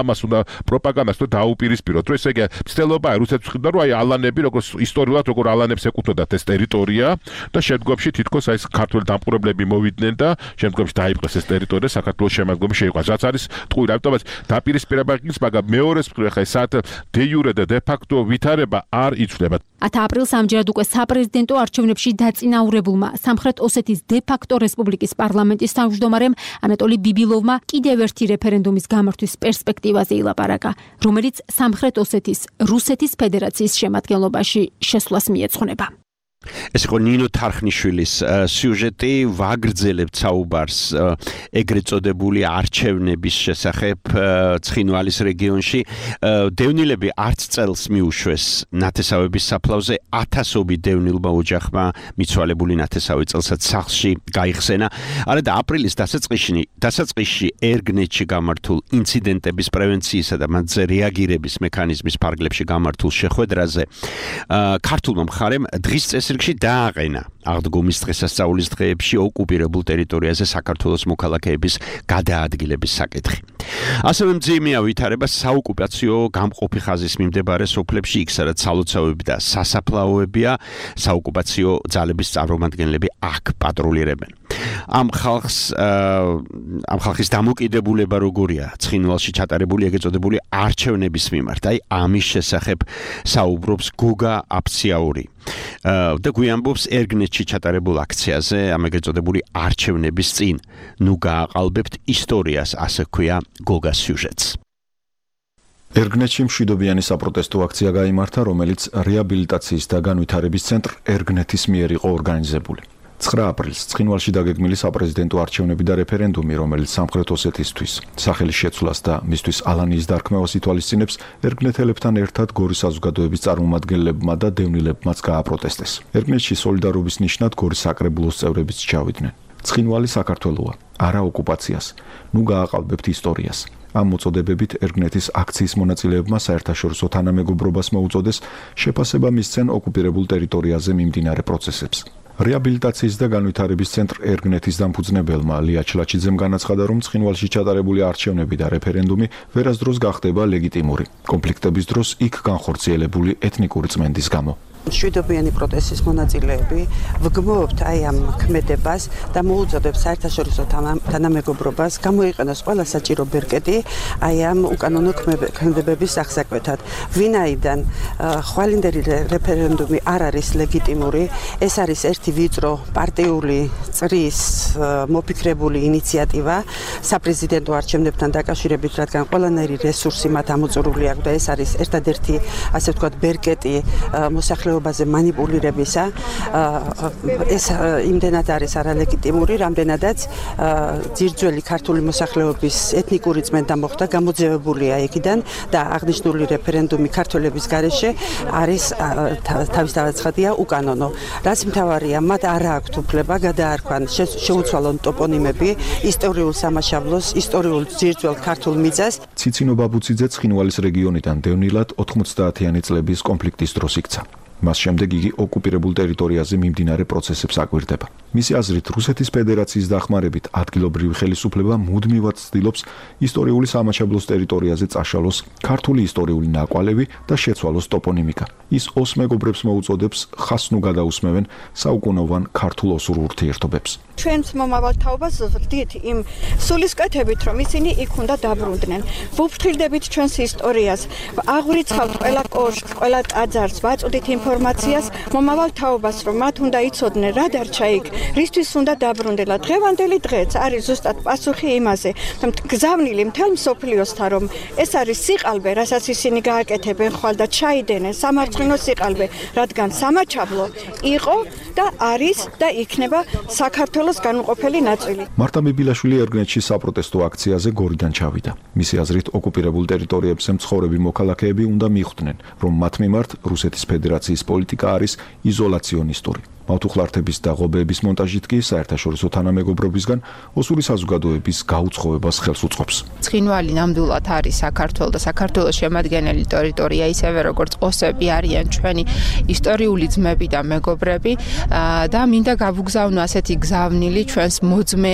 ამას უნდა პროპაგანდას თუ დაუპირისპიროთ, რომ ესე იგი ცდილობაა რუსეთს ვხედა, რომ აი ალანები როგორც ისტორიულად როგორ ალანებს ეკუთვნოდათ ეს ტერიტორია და შემდგომში თითქოს აი ქართველ დამპყრობლები მოვიდნენ და შემდგომში დაიპყრეს ეს ტერიტორია საქართველოს შემადგენლობაში შეიყვანს, რაც არის ტყუილ, ამიტომაც დაპირისპირება ის, მაგრამ მეორეს მხრივ ეხლა ესათ დე იურე და დე ფაქტო ვითარება არ იცვლება. ათ აპრილს ამჯერად უკვე საპრეზიდენტო არჩევნებში დაწინაურებულმა სამხრეთ ოსეთის დე ფაქტო რესპუბლიკის პარლამენტის თავმჯდომარემ ანატოლი ბიბილოვმა კიდევ ერთი რეფერენდუმის გამართვის პერსპექტივაზე ილაპარაკა, რომელიც სამხრეთ ოსეთის რუსეთის ფედერაციის შემადგენლობაში შესვლას მიეძღვნება. ეს იყო ნინო თარხნიშვილის სიუჟეტი, ვაგრძელებთ საუბარს ეგრეთ წოდებული არჩევნების შესახებ ცხინვალის რეგიონში. დევნილები არც წელს მიუშვეს ნათესავების საფლავზე, ათასობით დევნილმა ოჯახმა მიცვალებული ნათესავი წელსაც სახლში გაიხსენა. არა და აპრილის დასაწყისში დასაწყისში ერგნეთში გამართულ ინციდენტების პრევენციისა და მათზე რეაგირების მექანიზმის ფარგლებში გამართულ შეხვედრაზე ქართულმა მხარემ დღის წესრიგში დააყენა აღდგომის დღესასწაულის დღეებში ოკუპირებულ ტერიტორიაზე საქართველოს მოქალაქეების გადაადგილების საკითხი. ასევე მძიმეა ვითარება საოკუპაციო გამყოფი ხაზის მიმდებარე სოფლებში, იქ სადაც სალოცავები და სასაფლაოებია, საოკუპაციო ძალების წარმომადგენლები აქ პატრულირებენ. ამ ხალხს ამ ხალხის დამოკიდებულება როგორია ცხინვალში ჩატარებული ეგრეთ წოდებული არჩევნების მიმართ. აი ამის შესახებ საუბრობს გოგა აფციაური და გვიამბობს ერგნეთში ჩატარებულ აქციაზე ამ ეგრეთ წოდებული არჩევნების წინ. ნუ გააყალბებთ ისტორიას, ასე ქვია გოგას სიუჟეტს. ერგნეთში მშვიდობიანი საპროტესტო აქცია გაიმართა, რომელიც რეაბილიტაციის და განვითარების ცენტრ ერგნეთის მიერ იყო ორგანიზებული. ცხრა აპრილს ცხინვალში დაგეგმილი საპრეზიდენტო არჩევნები და რეფერენდუმი, რომელიც სამხრეთ ოსეთისთვის სახელის შეცვლას და მისთვის ალანიის დარქმევას ითვალისწინებს, ერგნეთელებთან ერთად გორის საზოგადოების წარმომადგენლებმა და დევნილებმაც გააპროტესტეს. ერგნეთში სოლიდარობის ნიშნად გორის საკრებულოს წევრებიც ჩავიდნენ. ცხინვალი საქართველოა, არა ოკუპაციას. ნუ გააყალბებთ ისტორიას. ამ მოწოდებებით ერგნეთის აქციის მონაწილეებმა საერთაშორისო თანამეგობრობას მოუწოდეს შეფასება მისცენ ოკუპირებულ ტერიტორიაზე მიმდინარე პროცესებს. რეაბილიტაციის და განვითარების ცენტრ ერგნეთის დამფუძნებელმა ლია ჩლაჩიძემ განაცხადა, რომ ცხინვალში ჩატარებული არჩევნები და რეფერენდუმი ვერასდროს გახდება ლეგიტიმური, კონფლიქტების დროს იქ განხორციელებული ეთნიკური წმენდის გამო. მშვიდობიანი პროტესტის მონაწილეები ვგმობთ აი ამ ქმედებას და მოუწოდებს საერთაშორისო თანამეგობრობას გამოიყენოს ყველა საჭირო ბერკეტი აი ამ უკანონო ქმედებების აღსაკვეთად. ვინაიდან ხვალინდელი რეფერენდუმი არ არის ლეგიტიმური, ეს არის ერთი ვიწრო პარტიული წრის მოფიქრებული ინიციატივა საპრეზიდენტო არჩევნებთან დაკავშირებით, რადგან ყველანაირი რესურსი მათ ამოწურული აქვს და ეს არის ერთადერთი, ასე ვთქვათ, ბერკეტი მოსახლეობაზე манипулირებისა. ეს იმდენად არის არალეგიტიმური, რამდენადაც ძირძველი ქართული მოსახლეობის ეთნიკური წმენდა მოხდა, გამოძევებულია იქიდან და აღნიშნული რეფერენდუმი ქართველების გარეშე არის თავისთავად ცხადია უკანონო. რაც მთავარია, მათ არ აქვთ უფლება გადაარქვან შეუცვალონ ტოპონიმები ისტორიულ სამაშაბლოს, ისტორიულ ძირძველ ქართულ მიწას. ციცინო ბაბუციძე ცხინვალის რეგიონიდან დევნილად ოთხმოცდაათიანი წლების კონფლიქტის დროს იქცა. მას შემდეგ იგი ოკუპირებულ ტერიტორიაზე მიმდინარე პროცესებს აკვირდება. მისი აზრით, რუსეთის ფედერაციის დახმარებით ადგილობრივი ხელისუფლება მუდმივად ცდილობს ისტორიული სამაჩაბლოს ტერიტორიაზე წაშალოს ქართული ისტორიული ნაკვალევი და შეცვალოს ტოპონიმიკა. ის ოს მეგობრებს მოუწოდებს ხას ნუ გადაусმევენ საუკუნოვან ქართულ-ოსურ ურთიერთობებს. ჩვენს მომავალ თაობას ვხვდით იმ სულისკვეთებით, რომ ისინი იქ უნდა დაბრუნდნენ. ვუფრთხილდებით ჩვენს ისტორიას, აღვრიცხავთ ყველა კოშკს, ყველა ტაძარს, ვაწოდით ინფორმაციას მომავალ თაობას, რომ მათ უნდა იცოდნენ რა დარჩა იქ, რისთვის უნდა დაბრუნდელა. დღევანდელი დღეც არის ზუსტად პასუხი იმაზე, რომ გზავნილი მთელ მსოფლიოსთან, რომ ეს არის სიყალბე, რასაც ისინი გააკეთებენ ხვალ და ჩაიდენენ სამარცხინო სიყალბე, რადგან სამაჩაბლო იყო და არის და იქნება საქართველოს განუყოფელი ნაწილი. მარტა ბიბილაშვილი ერგნეთში საპროტესტო აქციაზე გორიდან ჩავიდა. მისი აზრით, ოკუპირებულ ტერიტორიებზე მცხოვრები მოქალაქეები უნდა მიხვდნენ, რომ მათ მიმართ რუსეთის ფედერაციის პოლიტიკა არის იზოლაციონისტური. მავთუხლართების და ღობეების მონტაჟით კი საერთაშორისო თანამეგობრობისგან ოსური საზოგადოების გაუცხოებას ხელს უწყობს. ცხინვალი ნამდვილად არის საქართველოს და საქართველოს შემადგენელი ტერიტორია, ისევე როგორც ოსები არიან ჩვენი ისტორიული ძმები და მეგობრები და მინდა გავუგზავნო ასეთი გზავნილი ჩვენს მოძმე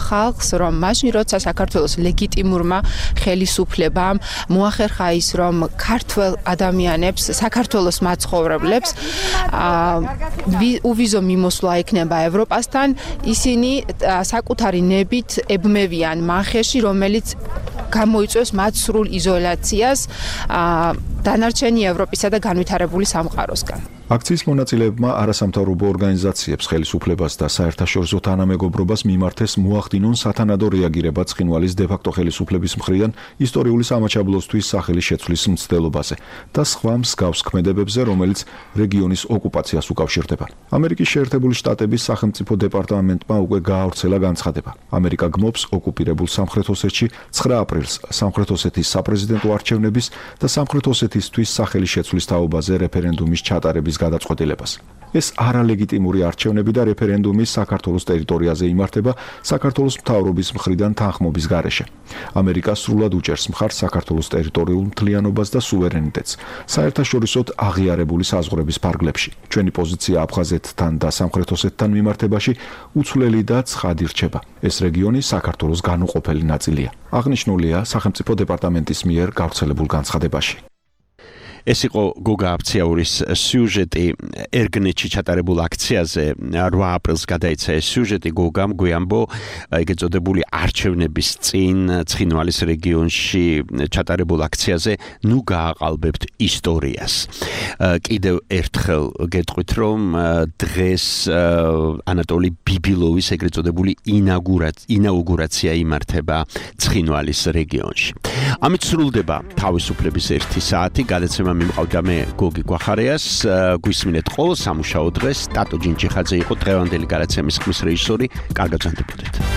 ხალხს, რომ მაშინ როცა საქართველოს ლეგიტიმურმა ხელისუფლებამ მოახერხა ის, რომ ქართველ ადამიანებს, საქართველოს მაცხოვრებლებს ვიზო მიმოსვლა ექნება ევროპასთან, ისინი საკუთარი ნებით ებმევიან მანხეში, რომელიც გამოიწვევს მათ სრულ იზოლაციას დანარჩენი ევროპისა და განვითარებული სამყაროსგან. აქციის მონაწილეებმა არასამთავრობო ორგანიზაციებს, ხელისუფლებას და საერთაშორისო თანამეგობრობას მიმართეს მოახდინონ სათანადო რეაგირება ცხინვალის დე-ფაქტო ხელისუფლების მხრიდან ისტორიული სამაჩაბლოსთვის სახელი შეცვლის მცდელობაზე და სხვა მსგავს ქმედებებზე, რომელიც რეგიონის ოკუპაციას უკავშირდება. ამერიკის შეერთებული შტატების სახელმწიფო დეპარტამენტმა უკვე გაავრცელა განცხადება. ამერიკა გმობს ოკუპირებულ სამხრეთ ოსეთში ცხრა აპრილს სამხრეთ ოსეთის საპრეზიდენტო არჩევნების და სამხრეთ ოსეთისთვის სახელი შეცვლის თაობაზე რეფერენდუმის ჩატარების გადაწყვეტილებას. ეს არალეგიტიმური არჩევნები და რეფერენდუმი საქართველოს ტერიტორიაზე იმართება საქართველოს მთავრობის მხრიდან თანხმობის გარეშე. ამერიკა სრულად უჭერს მხარს საქართველოს ტერიტორიულ მთლიანობას და სუვერენიტეტს საერთაშორისოდ აღიარებული საზღვრების ფარგლებში. ჩვენი პოზიცია აფხაზეთთან და სამხრეთ ოსეთთან მიმართებაში უცვლელი და ცხადი რჩება. ეს რეგიონი საქართველოს განუყოფელი ნაწილია. აღნიშნულია სახელმწიფო დეპარტამენტის მიერ გავრცელებულ განცხადებაში. ეს იყო გოგა აფციაურის სიუჟეტი ერგნეთში ჩატარებულ აქციაზე რვა აპრილს გადაიცა ეს სიუჟეტი გოგამ გვიამბო ეგ ეწოდებული არჩევნების წინ ცხინვალის რეგიონში ჩატარებულ აქციაზე ნუ გააყალბებთ ისტორიას. კიდევ ერთხელ გეტყვით რომ დღეს ანატოლი ბიბილოვის ეგ ეწოდებული ინაუგურაცია იმართება ცხინვალის რეგიონში. ამით სრულდება თავისუფლების ერთი საათი გადაცემა მიმყავდა მე გოგი გვახარიას გვისმინეთ ყოველ სამუშაო დღეს ტატო ჯინჯიხაძე იყო დღევანდელი გადაცემის ხმის რეჟისორი კარგად ზანდებოდეთ.